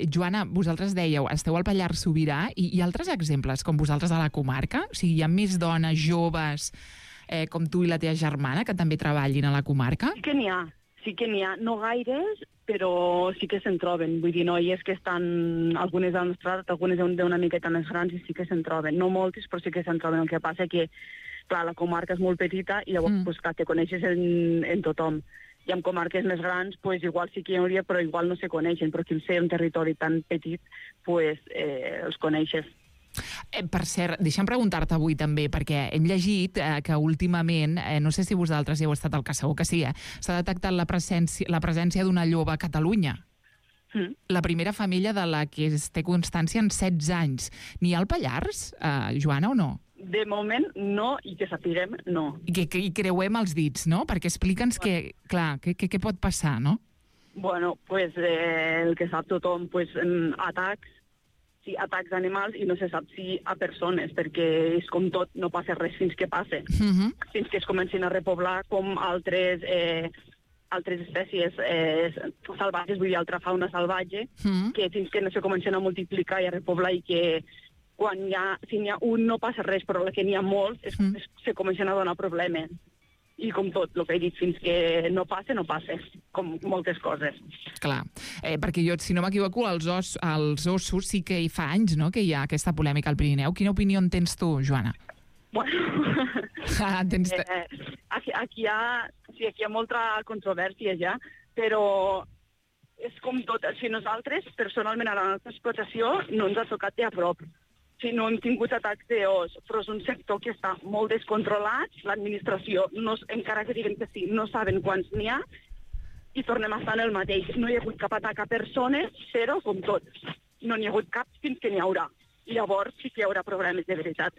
Joana, vosaltres dèieu, esteu al Pallars Sobirà i hi ha altres exemples com vosaltres a la comarca? O sigui, hi ha més dones joves com tu i la teva germana que també treballin a la comarca? Sí que n'hi ha, no gaires, però sí que se'n troben. Vull dir, noies que estan, algunes de la nostra edat, algunes d'una miqueta més grans, i sí que se'n troben. No moltes, però sí que se'n troben. El que passa que, clar, la comarca és molt petita i llavors, pues, clar, te coneixes en tothom. I en comarques més grans, pues, igual sí que hi hauria, però igual no se coneixen, però aquí al ser un territori tan petit, pues, els coneixes. Per cert, deixa'm preguntar-te avui també, perquè hem llegit que últimament, no sé si vosaltres hi heu estat al cas, segur que sí, s'ha detectat la presència d'una lloba a Catalunya. La primera femella de la que es té constància en 16 anys. N'hi ha al Pallars, Joana, o no? De moment, no, i que sapiguem, no. I creuem els dits, no? Perquè explica'ns què pot passar, no? Bueno, pues el que sap tothom, pues atacs d'animals, i no se sap si a persones, perquè és com tot, no passa res fins que passe. Fins que es comencin a repoblar com altres espècies salvatges, vull dir, altra fauna salvatge, que fins que no se comencen a multiplicar i a repoblar, i que si n'hi ha un no passa res, però que n'hi ha molts, se comencen a donar problemes. I com tot, el que he dit, fins que no passe, com moltes coses. Clar, perquè jo, si no m'equivoco, als ossos sí que hi fa anys, no?, que hi ha aquesta polèmica al Pirineu. Quina opinió en tens tu, Joana? Bueno, aquí hi ha molta controvèrsia ja, però és com tot. Si nosaltres, personalment, a la nostra explotació, no ens ha tocat de a prop. Si no hem tingut atacs d'os, però és un sector que està molt descontrolat, l'administració, encara que diguen que sí, no saben quants n'hi ha, i tornem a estar en el mateix. No hi ha hagut cap atac a persones, però, com tot, no n'hi ha hagut cap fins que n'hi haurà. I llavors sí que hi haurà problemes de veritat.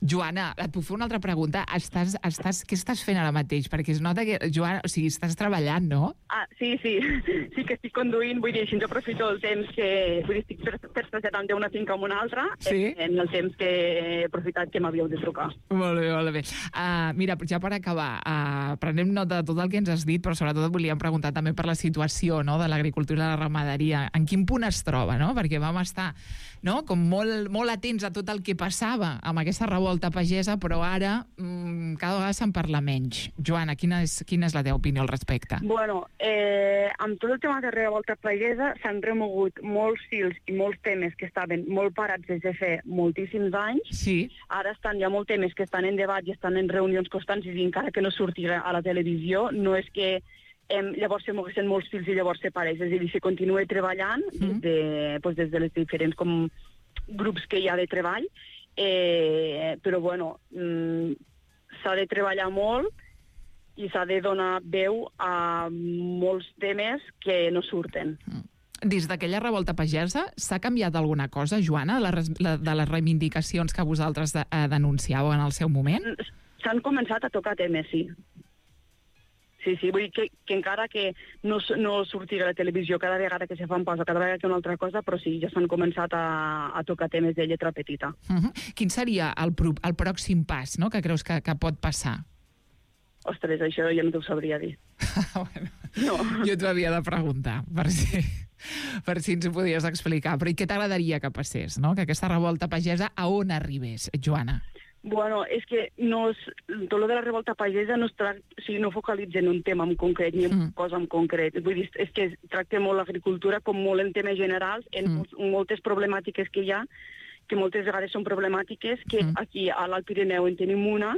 Joana, et puc fer una altra pregunta? Què estàs fent ara mateix? Perquè es nota que, Joana, o sigui, estàs treballant, no? Sí que estic conduint, vull dir, així jo aprofito el temps que... Vull dir, estic per traslladant d'una finca a una altra, en el temps que he aprofitat que m'havíeu de trucar. Molt bé. Mira, ja per acabar, prenem nota de tot el que ens has dit, però sobretot et volíem preguntar també per la situació, no?, de l'agricultura i la ramaderia. En quin punt es troba, no? Perquè vam estar, no?, com molt atents a tot el que passava amb aquesta revolta pagesa, però ara cada vegada se'n parla menys. Joana, quina és la teva opinió al respecte? Bueno, amb tot el tema de revolta pagesa s'han remogut molts fils i molts temes que estaven molt parats des de fer moltíssims anys. Sí. Ara hi ha molts temes que estan en debat i estan en reunions constants, i encara que no surti a la televisió, no és que llavors se moguessin molts fils i llavors se pareix. És a dir, se continua treballant des de les diferents grups que hi ha de treball, però bueno, s'ha de treballar molt i s'ha de donar veu a molts temes que no surten. Des d'aquella revolta pagesa s'ha canviat alguna cosa, Joana, de les reivindicacions que vosaltres denunciàveu en el seu moment? S'han començat a tocar temes, sí. Sí, vull dir que encara que no surti a la televisió cada vegada que se fa un pas o cada vegada que una altra cosa, però sí, ja s'han començat a tocar temes de lletra petita. Quin seria el pròxim pas, no?, que creus que pot passar? Ostres, això ja no t'ho sabria dir. Bueno, no. Jo t'ho havia de preguntar, per si ens ho podies explicar. Però i què t'agradaria que passés, no?, que aquesta revolta pagesa a on arribés, Joana? Bueno, és que tot lo de la revolta pagesa no focalitza en un tema en concret ni en una cosa en concret. Vull dir, és que tracta molt l'agricultura com molt en temes generals, en moltes problemàtiques que hi ha, que moltes vegades són problemàtiques, que aquí a l'Alt Pirineu en tenim una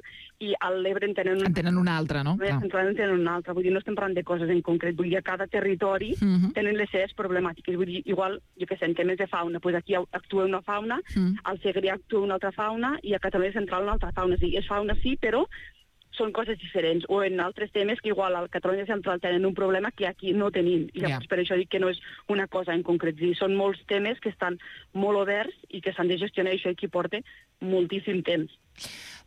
i a l'Ebre en tenen una altra, no? En tenen una altra. Vull dir, no estem parlant de coses en concret. Vull dir, a cada territori tenen les seves problemàtiques. Vull dir, igual, jo què sé, en temes de fauna, doncs aquí actua una fauna, al Segrià actua una altra fauna i a Catalunya Central una altra fauna. Sí, és fauna sí, però són coses diferents, o en altres temes que igual al Catalunya Central tenen un problema que aquí no tenim, i llavors per això dic que no és una cosa en concret, són molts temes que estan molt oberts i que s'han de gestionar, i això aquí porta moltíssim temps.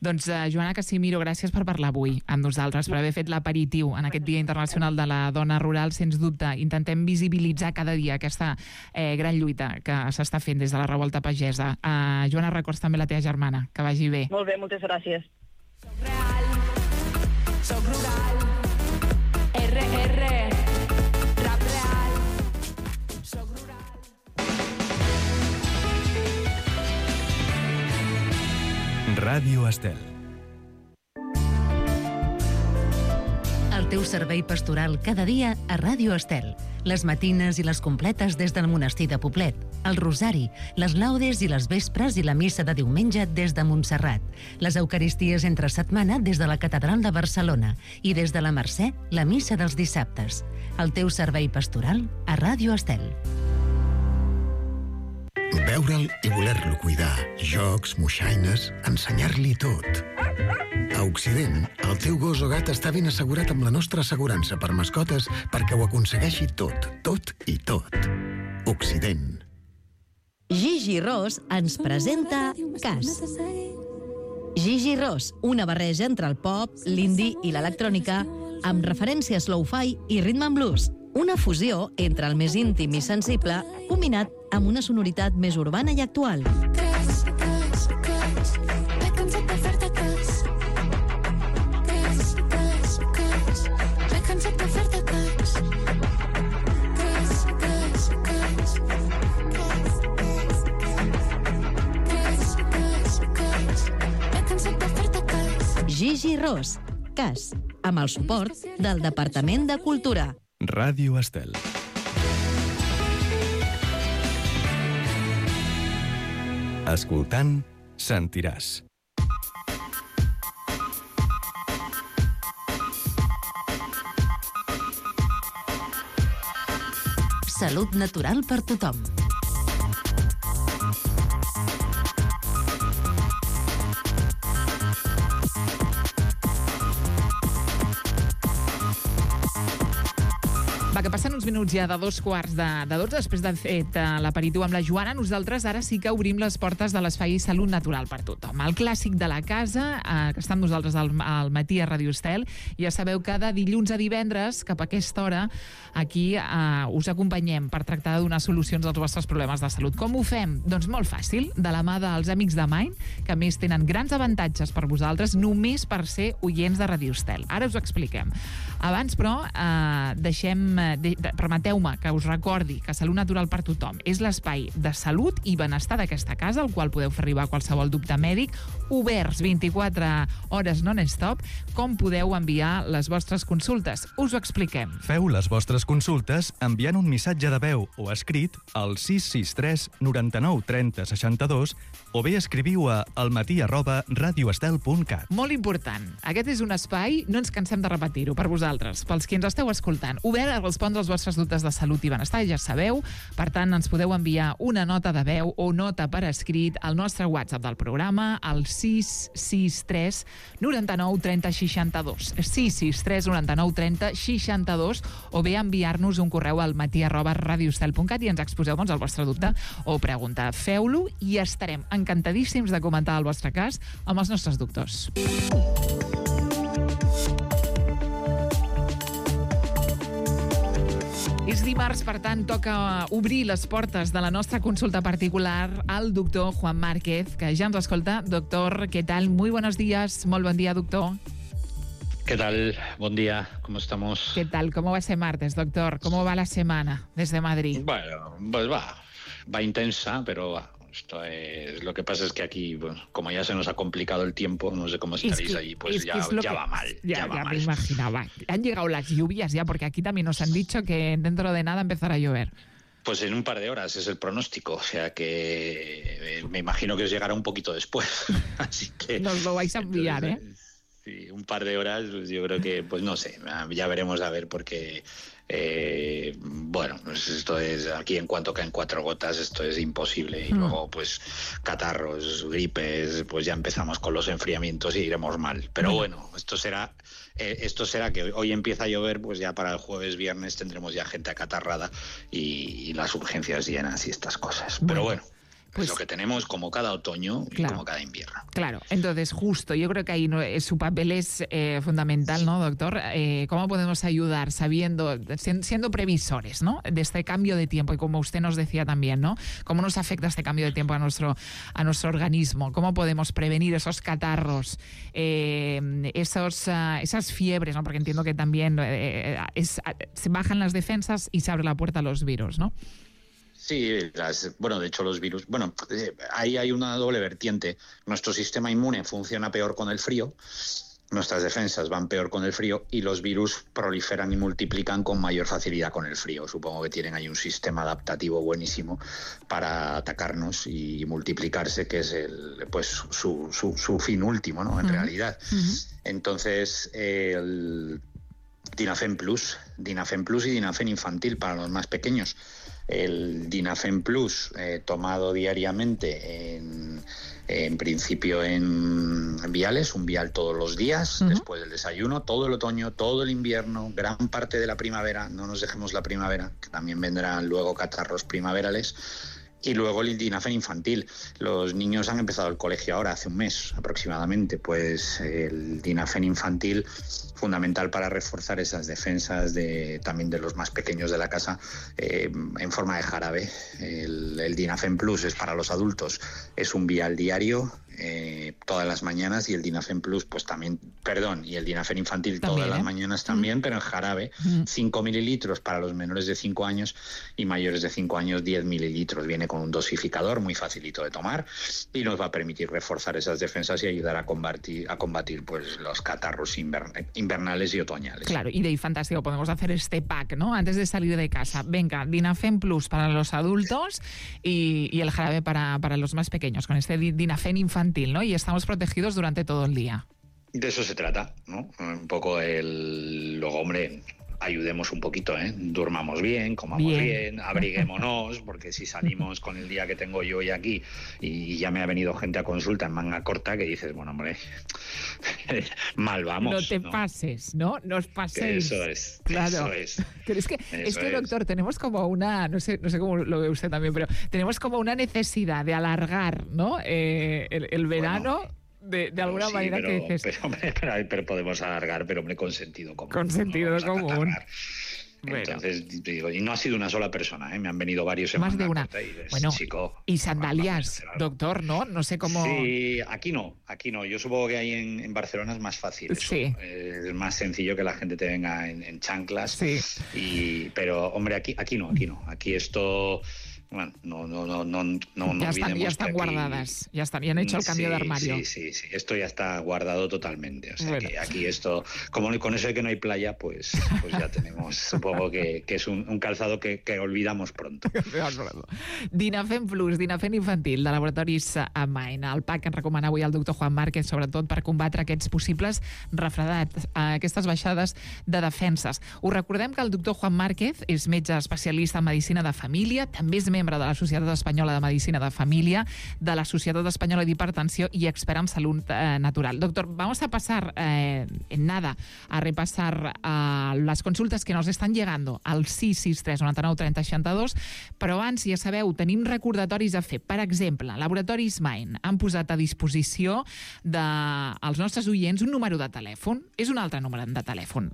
Doncs, Joana Casimiro, gràcies per parlar avui amb nosaltres, per haver fet l'aperitiu en aquest Dia Internacional de la Dona Rural. Sens dubte, intentem visibilitzar cada dia aquesta gran lluita que s'està fent des de la revolta pagesa. Joana, records també la teva germana. Que vagi bé. Molt bé, moltes gràcies. Soc rural, RR, rap real, soc rural. Ràdio Estel. El teu servei pastoral cada dia a Ràdio Estel. Les matines i les completes des del monestir de Poblet, el rosari, les laudes i les vespres i la missa de diumenge des de Montserrat, les eucaristies entre setmana des de la Catedral de Barcelona i des de la Mercè, la missa dels dissabtes. El teu servei pastoral a Ràdio Estel. Veure'l i voler-lo cuidar, jocs, moixaines, ensenyar-li tot. A Occident, el teu gos o gat està ben assegurat amb la nostra assegurança per mascotes perquè ho aconsegueixi tot, tot i tot. Occident. Gigi Ros ens presenta Cas. Gigi Ros, una barreja entre el pop, l'indie i l'electrònica, amb referències lo-fi i rhythm and blues. Una fusió entre el més íntim i sensible, combinat amb una sonoritat més urbana i actual. Gigi Ros, Cas, amb el suport del Departament de Cultura. Ràdio Estel. Escoltant, sentiràs. Salut natural per tothom. Va, que passen uns minuts ja de 2:15 de 12, després de fet l'aperitiu amb la Joana. Nosaltres ara sí que obrim les portes de l'espai Salut Natural per tothom. El clàssic de la casa, que està amb nosaltres al matí a Ràdio Estel. Ja sabeu que de dilluns a divendres, cap a aquesta hora, aquí us acompanyem per tractar de donar solucions als vostres problemes de salut. Com ho fem? Doncs molt fàcil, de la mà dels amics de Mind, que a més tenen grans avantatges per vosaltres, només per ser oients de Ràdio Estel. Ara us ho expliquem. Abans, però, permeteu-me que us recordi que Salut Natural per tothom és l'espai de salut i benestar d'aquesta casa, al qual podeu fer arribar qualsevol dubte mèdic, oberts 24 hores non-stop. Com podeu enviar les vostres consultes? Us ho expliquem. Feu les vostres consultes enviant un missatge de veu o escrit al 663 99 30 62 o bé escriviu a almatí@radioestel.cat. Molt important. Aquest és un espai, no ens cansem de repetir-ho per vosaltres, pels qui ens esteu escoltant, obert a respondre als vostres dubtes de salut i benestar, ja sabeu. Per tant, ens podeu enviar una nota de veu o nota per escrit al nostre WhatsApp del programa, al 663 99 30 62. 663 99 30 62, o bé enviar-nos un correu al matí@radioestel.cat i ens exposeu el vostre dubte o pregunta. Feu-lo i estarem encantadíssims de comentar el vostre cas amb els nostres doctors. És dimarts, per tant, toca obrir les portes de la nostra consulta particular al doctor Juan Márquez, que ja ens escolta. Doctor, ¿qué tal? Muy buenos días. Molt bon dia, doctor. ¿Qué tal? Buen día. ¿Cómo estamos? ¿Qué tal? ¿Cómo va ese martes, doctor? ¿Cómo va la semana desde Madrid? Bueno, pues va intensa, pero esto es... Lo que pasa es que aquí, bueno, como ya se nos ha complicado el tiempo, no sé cómo estaréis allí, pues ya va mal. Ya me imaginaba. Han llegado las lluvias ya, porque aquí también nos han dicho que dentro de nada empezará a llover. Pues en un par de horas es el pronóstico, o sea que me imagino que os llegará un poquito después. Así que nos lo vais a enviar, Sí, un par de horas, pues yo creo que, pues no sé, ya veremos a ver, porque bueno, pues esto es, aquí en cuanto caen 4 gotas, esto es imposible. Y luego, pues, catarros, gripes, pues ya empezamos con los enfriamientos y iremos mal. Pero bueno, esto será que hoy empieza a llover, pues ya para el jueves, viernes tendremos ya gente acatarrada y las urgencias llenas y estas cosas. Pero bueno. Pues lo que tenemos como cada otoño y como cada invierno. Claro, entonces justo, yo creo que ahí su papel es fundamental, ¿no, doctor? ¿Cómo podemos ayudar siendo previsores, ¿no?, de este cambio de tiempo? Y como usted nos decía también, ¿no?, ¿cómo nos afecta este cambio de tiempo a nuestro organismo? ¿Cómo podemos prevenir esos catarros, esas fiebres, ¿no? Porque entiendo que también se bajan las defensas y se abre la puerta a los virus, ¿no? Sí, bueno, de hecho los virus... Bueno, ahí hay una doble vertiente. Nuestro sistema inmune funciona peor con el frío nuestras defensas van peor con el frío y los virus proliferan y multiplican con mayor facilidad con el frío. Supongo que tienen ahí un sistema adaptativo buenísimo para atacarnos y multiplicarse, que es su fin último, ¿no? En realidad. Entonces, el Dinafen Plus y Dinafen Infantil para los más pequeños. El Dinafen Plus tomado diariamente en principio en viales, un vial todos los días, después del desayuno, todo el otoño, todo el invierno, gran parte de la primavera, no nos dejemos la primavera, que también vendrán luego catarros primaverales, y luego el Dinafen Infantil. Los niños han empezado el colegio ahora, hace un mes aproximadamente, pues el Dinafen Infantil, fundamental para reforzar esas defensas también de los más pequeños de la casa, en forma de jarabe. El Dinafen Plus es para los adultos, es un vial diario, todas las mañanas, y el Dinafen Plus pues también, y el Dinafen Infantil también, todas las mañanas también, pero en jarabe, 5 mililitros para los menores de 5 años y mayores de 5 años 10 mililitros. Viene con un dosificador muy facilito de tomar y nos va a permitir reforzar esas defensas y ayudar a combatir pues los catarros invernales y otoñales. Claro, y de ahí fantástico, podemos hacer este pack, ¿no? Antes de salir de casa. Venga, Dinafen Plus para los adultos y el jarabe para los más pequeños, con este Dinafen Infantil, ¿no? Y estamos protegidos durante todo el día. De eso se trata, ¿no? Un poco luego, hombre, ayudemos un poquito, ¿eh? Durmamos bien, comamos bien, abriguémonos, porque si salimos con el día que tengo yo hoy aquí y ya me ha venido gente a consulta en manga corta, que dices, bueno, hombre, mal vamos. No te pases, ¿no? No os paséis. Eso es, claro. Eso es. Pero es que, doctor, tenemos como una, no sé cómo lo ve usted también, pero tenemos como una necesidad de alargar, ¿no? El verano... Bueno, de alguna manera que dices... Pero podemos alargar, pero hombre, con sentido común. Con sentido común. Entonces, digo, y no ha sido una sola persona, ¿eh? Me han venido varios en más de una. Bueno, y sandalias, doctor, ¿no? No sé cómo... Sí, aquí no. Yo supongo que ahí en Barcelona es más fácil eso. Sí. Es más sencillo que la gente te venga en chanclas. Sí. Pero, hombre, aquí no. Aquí esto... Bueno, no ya están guardadas, ya han hecho el cambio de armario. Sí, esto ya está guardado totalmente. O sea, que aquí esto, como con eso de que no hay playa, pues ya tenemos, supongo que es un calzado que olvidamos pronto. Dinafen Plus, Dinafen Infantil, de Laboratoris Main, el pack que ens recomana avui el doctor Juan Márquez, sobretot per combatre aquests possibles refredats, aquestes baixades de defenses. Us recordem que el doctor Juan Márquez és metge especialista en medicina de família, també és membre de la Societat Espanyola de Medicina de Familia, de la Societat Espanyola de Hipertensió y expert en salud natural. Doctor, vamos a pasar en nada a repasar las consultes que nos estan llegando al 663 99 30 62, però abans, ja sabeu, tenim recordatoris a fer. Per exemple, Laboratoris Main han posat a disposició dels nostres oients un número de telèfon. És un altre número de telèfon.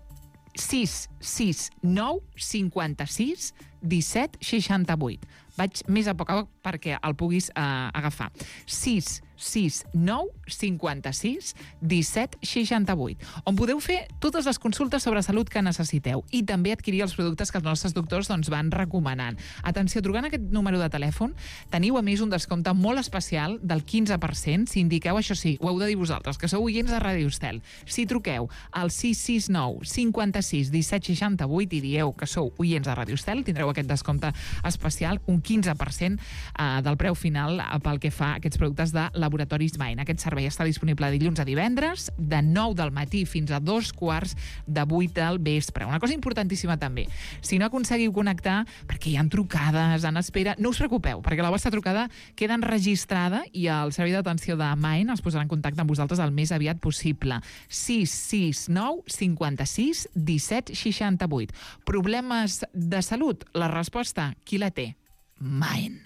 669 56 17 68. Vaig més a poc a poc perquè el puguis agafar. 669 56 17 68, on podeu fer totes les consultes sobre salut que necessiteu i també adquirir els productes que els nostres doctors van recomanant. Atenció, trucant aquest número de telèfon teniu a més un descompte molt especial del 15% si indiqueu, això sí, ho heu de dir vosaltres, que sou oients de Ràdio Estel. Si truqueu al 669 56 17 68 i dieu que sou oients de Ràdio Estel, tindreu aquest descompte especial, un 15% del preu final pel que fa a aquests productes de Laboratoris Main. Aquest servei està disponible dilluns a divendres, de 9 del matí fins a 2:15 del vespre. Una cosa importantíssima també, si no aconseguiu connectar, perquè hi ha trucades en espera, no us preocupeu, perquè la vostra trucada queda enregistrada i el servei d'atenció de Main es posarà en contacte amb vosaltres el més aviat possible. 669 56 17 68. Problemes de salut? La resposta, qui la té? Main.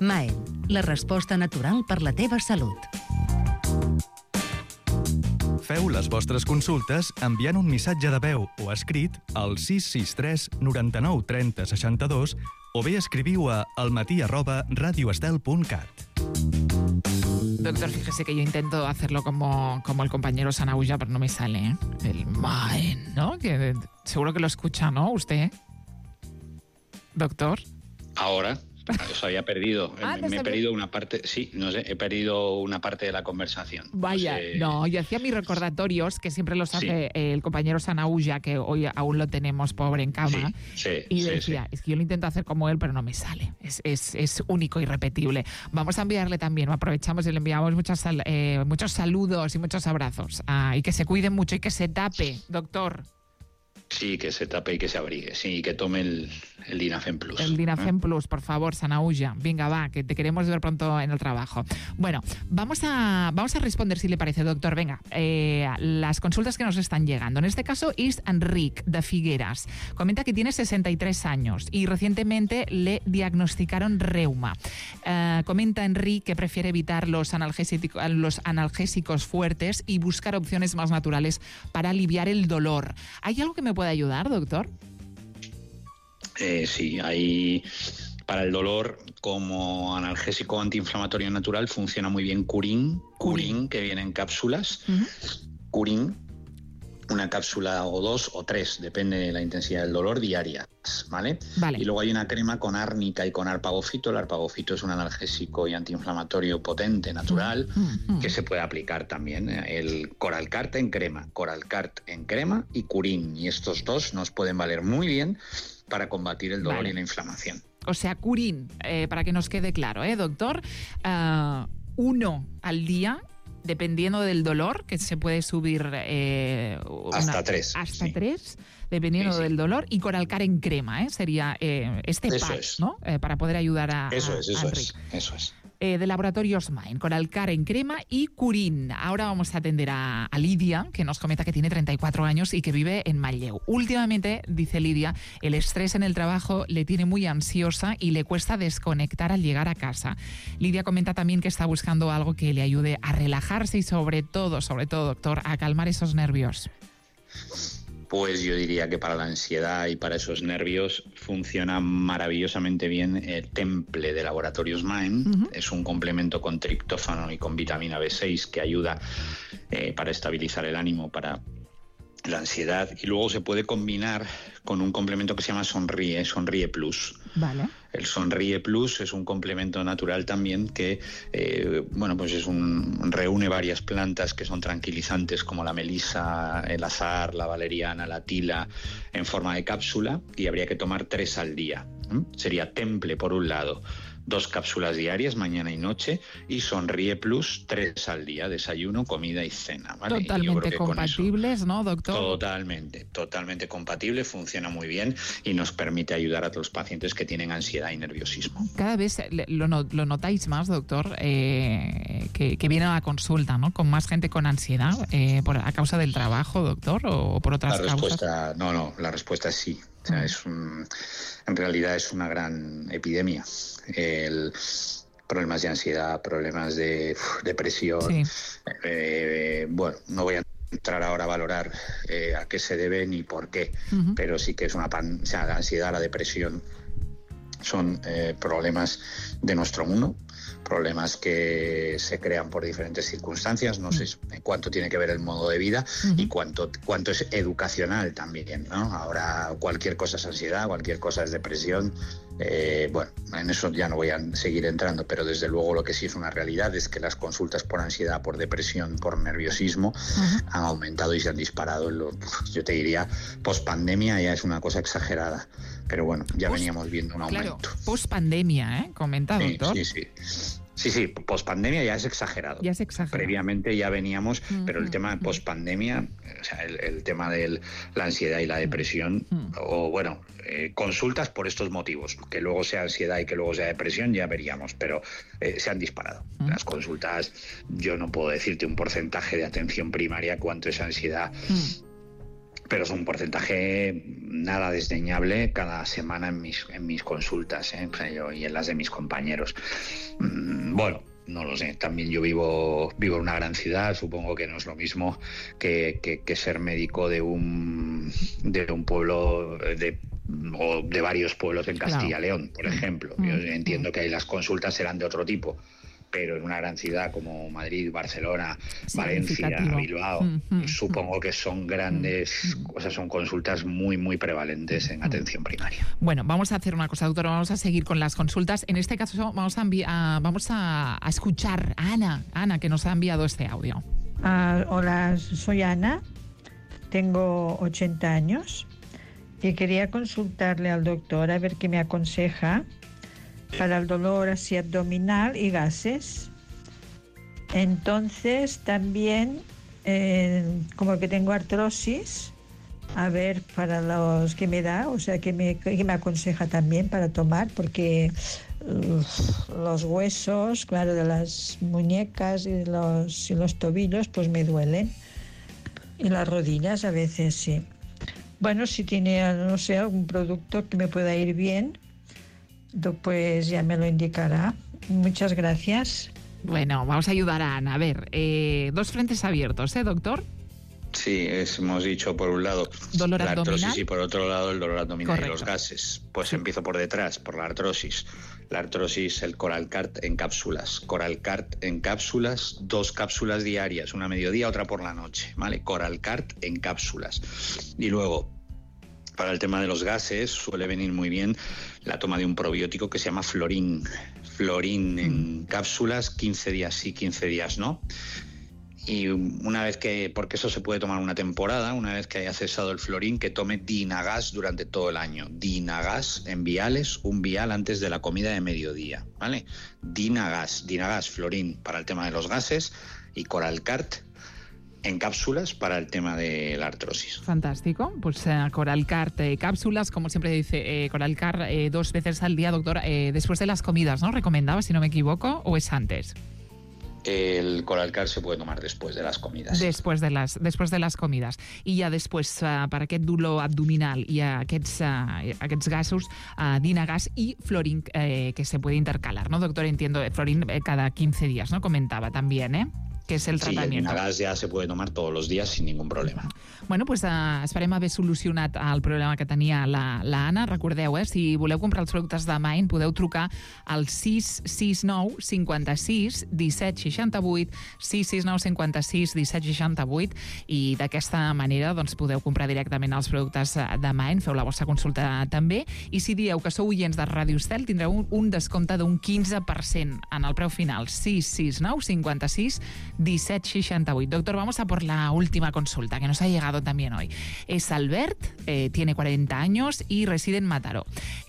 Maen, la resposta natural per la teva salut. Feu les vostres consultes enviant un missatge de veu o escrit al 663 99 30 62 o bé escriviu a almatí@radioestel.cat. Doctor, fíjese que yo intento hacerlo como el compañero Sanauja, pero no me sale, ¿eh? El Maen, ¿no? Que seguro que lo escucha, ¿no? ¿Usted? Doctor. Ahora, Os había perdido. Me he perdido una parte, sí, no sé, he perdido una parte de la conversación. Vaya, no, yo hacía mis recordatorios, que siempre los hace el compañero Sanaulla, que hoy aún lo tenemos pobre en cama, y decía, es que yo lo intento hacer como él, pero no me sale. Es único y irrepetible. Vamos a enviarle también, aprovechamos y le enviamos muchos saludos y muchos abrazos. Y que se cuide mucho y que se tape, doctor. Sí, que se tape y que se abrigue. Sí, y que tome el Dinafem Plus. El Dinafem Plus, por favor, Sanaulla. Venga, va, que te queremos ver pronto en el trabajo. Bueno, vamos a responder, si le parece, doctor. Venga, las consultas que nos están llegando. En este caso es Enric, de Figueras. Comenta que tiene 63 años y recientemente le diagnosticaron reuma. Comenta Enric que prefiere evitar los analgésicos fuertes y buscar opciones más naturales para aliviar el dolor. ¿Hay algo que me puede ayudar, doctor? Sí, hay para el dolor como analgésico antiinflamatorio natural funciona muy bien Curín, que viene en cápsulas. Curín, una cápsula o 2 o 3, depende de la intensidad del dolor, diarias, ¿vale? Y luego hay una crema con árnica y con arpagofito. El arpagofito es un analgésico y antiinflamatorio potente, natural, que se puede aplicar también. El Coralcart en crema y Curín. Y estos dos nos pueden valer muy bien para combatir el dolor y la inflamación. O sea, Curín, para que nos quede claro, doctor, 1 al día, dependiendo del dolor, que se puede subir hasta 3. Hasta 3, dependiendo del dolor, y Coralcart en crema, sería pack, ¿no? Para poder ayudar a Enric. Eso es. De Laboratorios Main, Coralcart en crema y Curín. Ahora vamos a atender a Lidia, que nos comenta que tiene 34 años y que vive en Manlleu. Últimamente, dice Lidia, el estrés en el trabajo le tiene muy ansiosa y le cuesta desconectar al llegar a casa. Lidia comenta también que está buscando algo que le ayude a relajarse y sobre todo, doctor, a calmar esos nervios. Pues yo diría que para la ansiedad y para esos nervios funciona maravillosamente bien el Temple de Laboratorios Main. Es un complemento con triptófano y con vitamina B6 que ayuda para estabilizar el ánimo, para la ansiedad, y luego se puede combinar con un complemento que se llama Sonríe Plus. Vale. El Sonríe Plus es un complemento natural también que pues reúne varias plantas que son tranquilizantes, como la melisa, el azahar, la valeriana, la tila, en forma de cápsula, y habría que tomar 3 al día. Sería Temple por un lado, 2 cápsulas diarias, mañana y noche, y Sonríe Plus 3 al día, desayuno, comida y cena, ¿vale? Totalmente compatibles, ¿no, doctor? Totalmente compatible, funciona muy bien y nos permite ayudar a los pacientes que tienen ansiedad y nerviosismo. Cada vez lo notáis más, doctor, que viene a la consulta, ¿no? Con más gente con ansiedad, a causa del trabajo, doctor, o por otras causas. La respuesta es sí. O sea, en realidad es una gran epidemia. Problemas de ansiedad, problemas de depresión. No voy a entrar ahora a valorar a qué se debe ni por qué, pero sí que es la ansiedad, la depresión son problemas de nuestro mundo, problemas que se crean por diferentes circunstancias. No sé cuánto tiene que ver el modo de vida y cuánto es educacional también, ¿no? Ahora cualquier cosa es ansiedad, cualquier cosa es depresión. En eso ya no voy a seguir entrando, pero desde luego lo que sí es una realidad es que las consultas por ansiedad, por depresión, por nerviosismo han aumentado y se han disparado. Yo te diría, pospandemia ya es una cosa exagerada, pero bueno, ya veníamos viendo un aumento. Claro, pospandemia, comenta, doctor. Sí, pospandemia ya es exagerado. Previamente ya veníamos, pero el tema de pospandemia, o sea, el tema de la ansiedad y la depresión, consultas por estos motivos, que luego sea ansiedad y que luego sea depresión, ya veríamos, pero se han disparado. Las consultas, yo no puedo decirte un porcentaje de atención primaria cuánto es ansiedad, pero es un porcentaje nada desdeñable cada semana en mis consultas, y en las de mis compañeros. No lo sé, también yo vivo en una gran ciudad, supongo que no es lo mismo que ser médico de un pueblo o de varios pueblos en Castilla y León, por ejemplo. Yo entiendo que ahí las consultas serán de otro tipo, pero en una gran ciudad como Madrid, Barcelona, Valencia, Bilbao, supongo que son grandes, o sea, son consultas muy, muy prevalentes en atención primaria. Bueno, vamos a hacer una cosa, doctor, vamos a seguir con las consultas. En este caso vamos a escuchar a Ana, que nos ha enviado este audio. Hola, soy Ana, tengo 80 años y quería consultarle al doctor a ver qué me aconseja para el dolor así abdominal y gases. Entonces también como que tengo artrosis, a ver para los que me da, o sea que me aconseja también para tomar, porque los huesos, claro, de las muñecas y los tobillos pues me duelen, y las rodillas a veces sí. Bueno, si tiene, no sé, algún producto que me pueda ir bien, pues ya me lo indicará. Muchas gracias. Bueno, vamos a ayudar a Ana. A ver, 2 frentes abiertos, doctor? Sí, hemos dicho por un lado dolor la abdominal artrosis y por otro lado el dolor abdominal. Correcto. Y los gases. Pues empiezo por detrás, por la artrosis. La artrosis, el Coralcart en cápsulas. Coralcart en cápsulas, 2 cápsulas diarias, una a mediodía, otra por la noche, ¿vale? Coralcart en cápsulas. Y luego, para el tema de los gases, suele venir muy bien la toma de un probiótico que se llama Florin. Florin en cápsulas, 15 días sí, 15 días no. Y una vez que, porque eso se puede tomar una temporada, una vez que haya cesado el Florin, que tome Dinagas durante todo el año. Dinagas en viales, un vial antes de la comida de mediodía, ¿vale? Dinagas, Florin para el tema de los gases y Coralcart en cápsulas para el tema de la artrosis. Fantástico. Pues Coralcart, cápsulas, como siempre dice, Coralcart 2 veces al día, doctor, después de las comidas, ¿no? Recomendaba, si no me equivoco, ¿o es antes? El Coralcart se puede tomar después de las comidas. Después de las comidas. I ja després, per aquest dolor abdominal i aquests gasos, Dinagas y Florin, que se puede intercalar, ¿no, doctor? Entiendo, Florin cada 15 días, ¿no? Comentaba también, que és el tratamiento. Sí, el Dinagas ja se puede tomar todos los días sin ningún problema. Bueno, pues esperem haver solucionat el problema que tenia la Anna. Recordeu, si voleu comprar els productes de Mind, podeu trucar al 669 56 17 68, 669 56 17 68, i d'aquesta manera doncs, podeu comprar directament els productes de Mind, feu la vostra consulta també, i si dieu que sou oients de Ràdio Estel, tindreu un descompte d'un 15% en el preu final. 669 56 1768. Doctor, vamos a por la última consulta que nos ha llegado también hoy. Es Albert, tiene 40 años y reside en Mataró.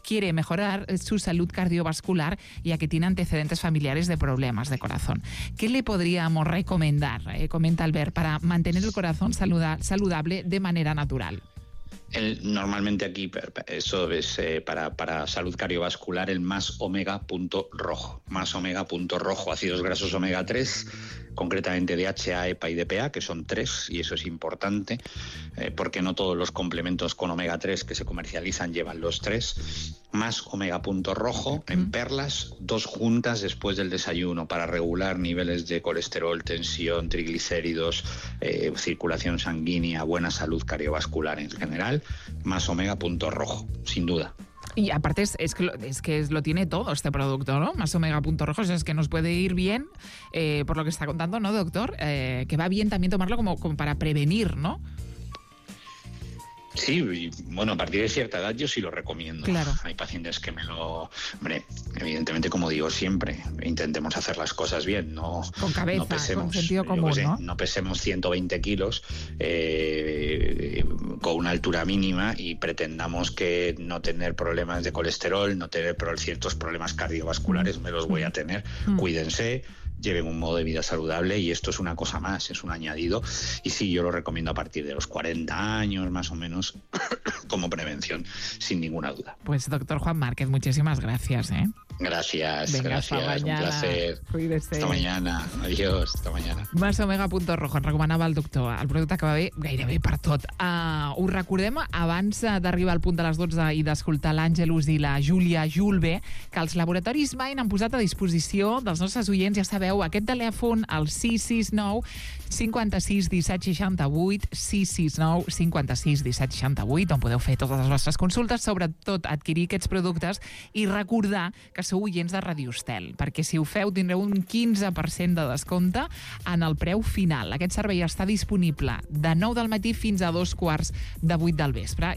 Quiere mejorar su salud cardiovascular ya que tiene antecedentes familiares de problemas de corazón. ¿Qué le podríamos recomendar, comenta Albert, para mantener el corazón saludable de manera natural? Normalmente aquí, eso es para salud cardiovascular, el más omega.rojo. Más omega.rojo, ácidos grasos omega 3, concretamente DHA, EPA y DPA, que son 3, y eso es importante, porque no todos los complementos con omega 3 que se comercializan llevan los 3. Más omega.rojo en perlas, 2 juntas después del desayuno para regular niveles de colesterol, tensión, triglicéridos, circulación sanguínea, buena salud cardiovascular en general. Más omega.rojo, sin duda. Y aparte es que lo tiene todo este producto, ¿no? Más omega.rojo, es que nos puede ir bien, por lo que está contando, ¿no, doctor? Que va bien también tomarlo como para prevenir, ¿no? Sí, y bueno, a partir de cierta edad yo sí lo recomiendo. Claro. Hay pacientes que me lo... Hombre, evidentemente, como digo siempre, intentemos hacer las cosas bien, no... Con cabeza, no pesemos, con sentido común, ¿no? No pesemos 120 kilos con una altura mínima y pretendamos que no tener problemas de colesterol, no tener ciertos problemas cardiovasculares, me los voy a tener. Cuídense, lleven un modo de vida saludable y esto es una cosa más, es un añadido. Y sí, yo lo recomiendo a partir de los 40 años, más o menos, como prevención, sin ninguna duda. Pues doctor Juan Márquez, muchísimas gracias. Gracias, Venga, gracias, un placer. Cuídese. Hasta mañana, adiós, hasta mañana. Más omega.rojo, en recomanava el doctor. El producte que va bé gairebé per tot. Ho recordem abans d'arribar al punt de les 12 i d'escoltar l'Àngelus i la Júlia Julbe, que els laboratoris Mind han posat a disposició dels nostres oients, ja sabeu, aquest telèfon, el 669 56 17 68, 669 56 17 68, on podeu fer totes les vostres consultes, sobretot adquirir aquests productes i recordar que sou oients de Ràdio Estel, perquè si ho feu tindreu un 15% de descompte en el preu final. Aquest servei està disponible de 9 del matí fins a 2:15 del vespre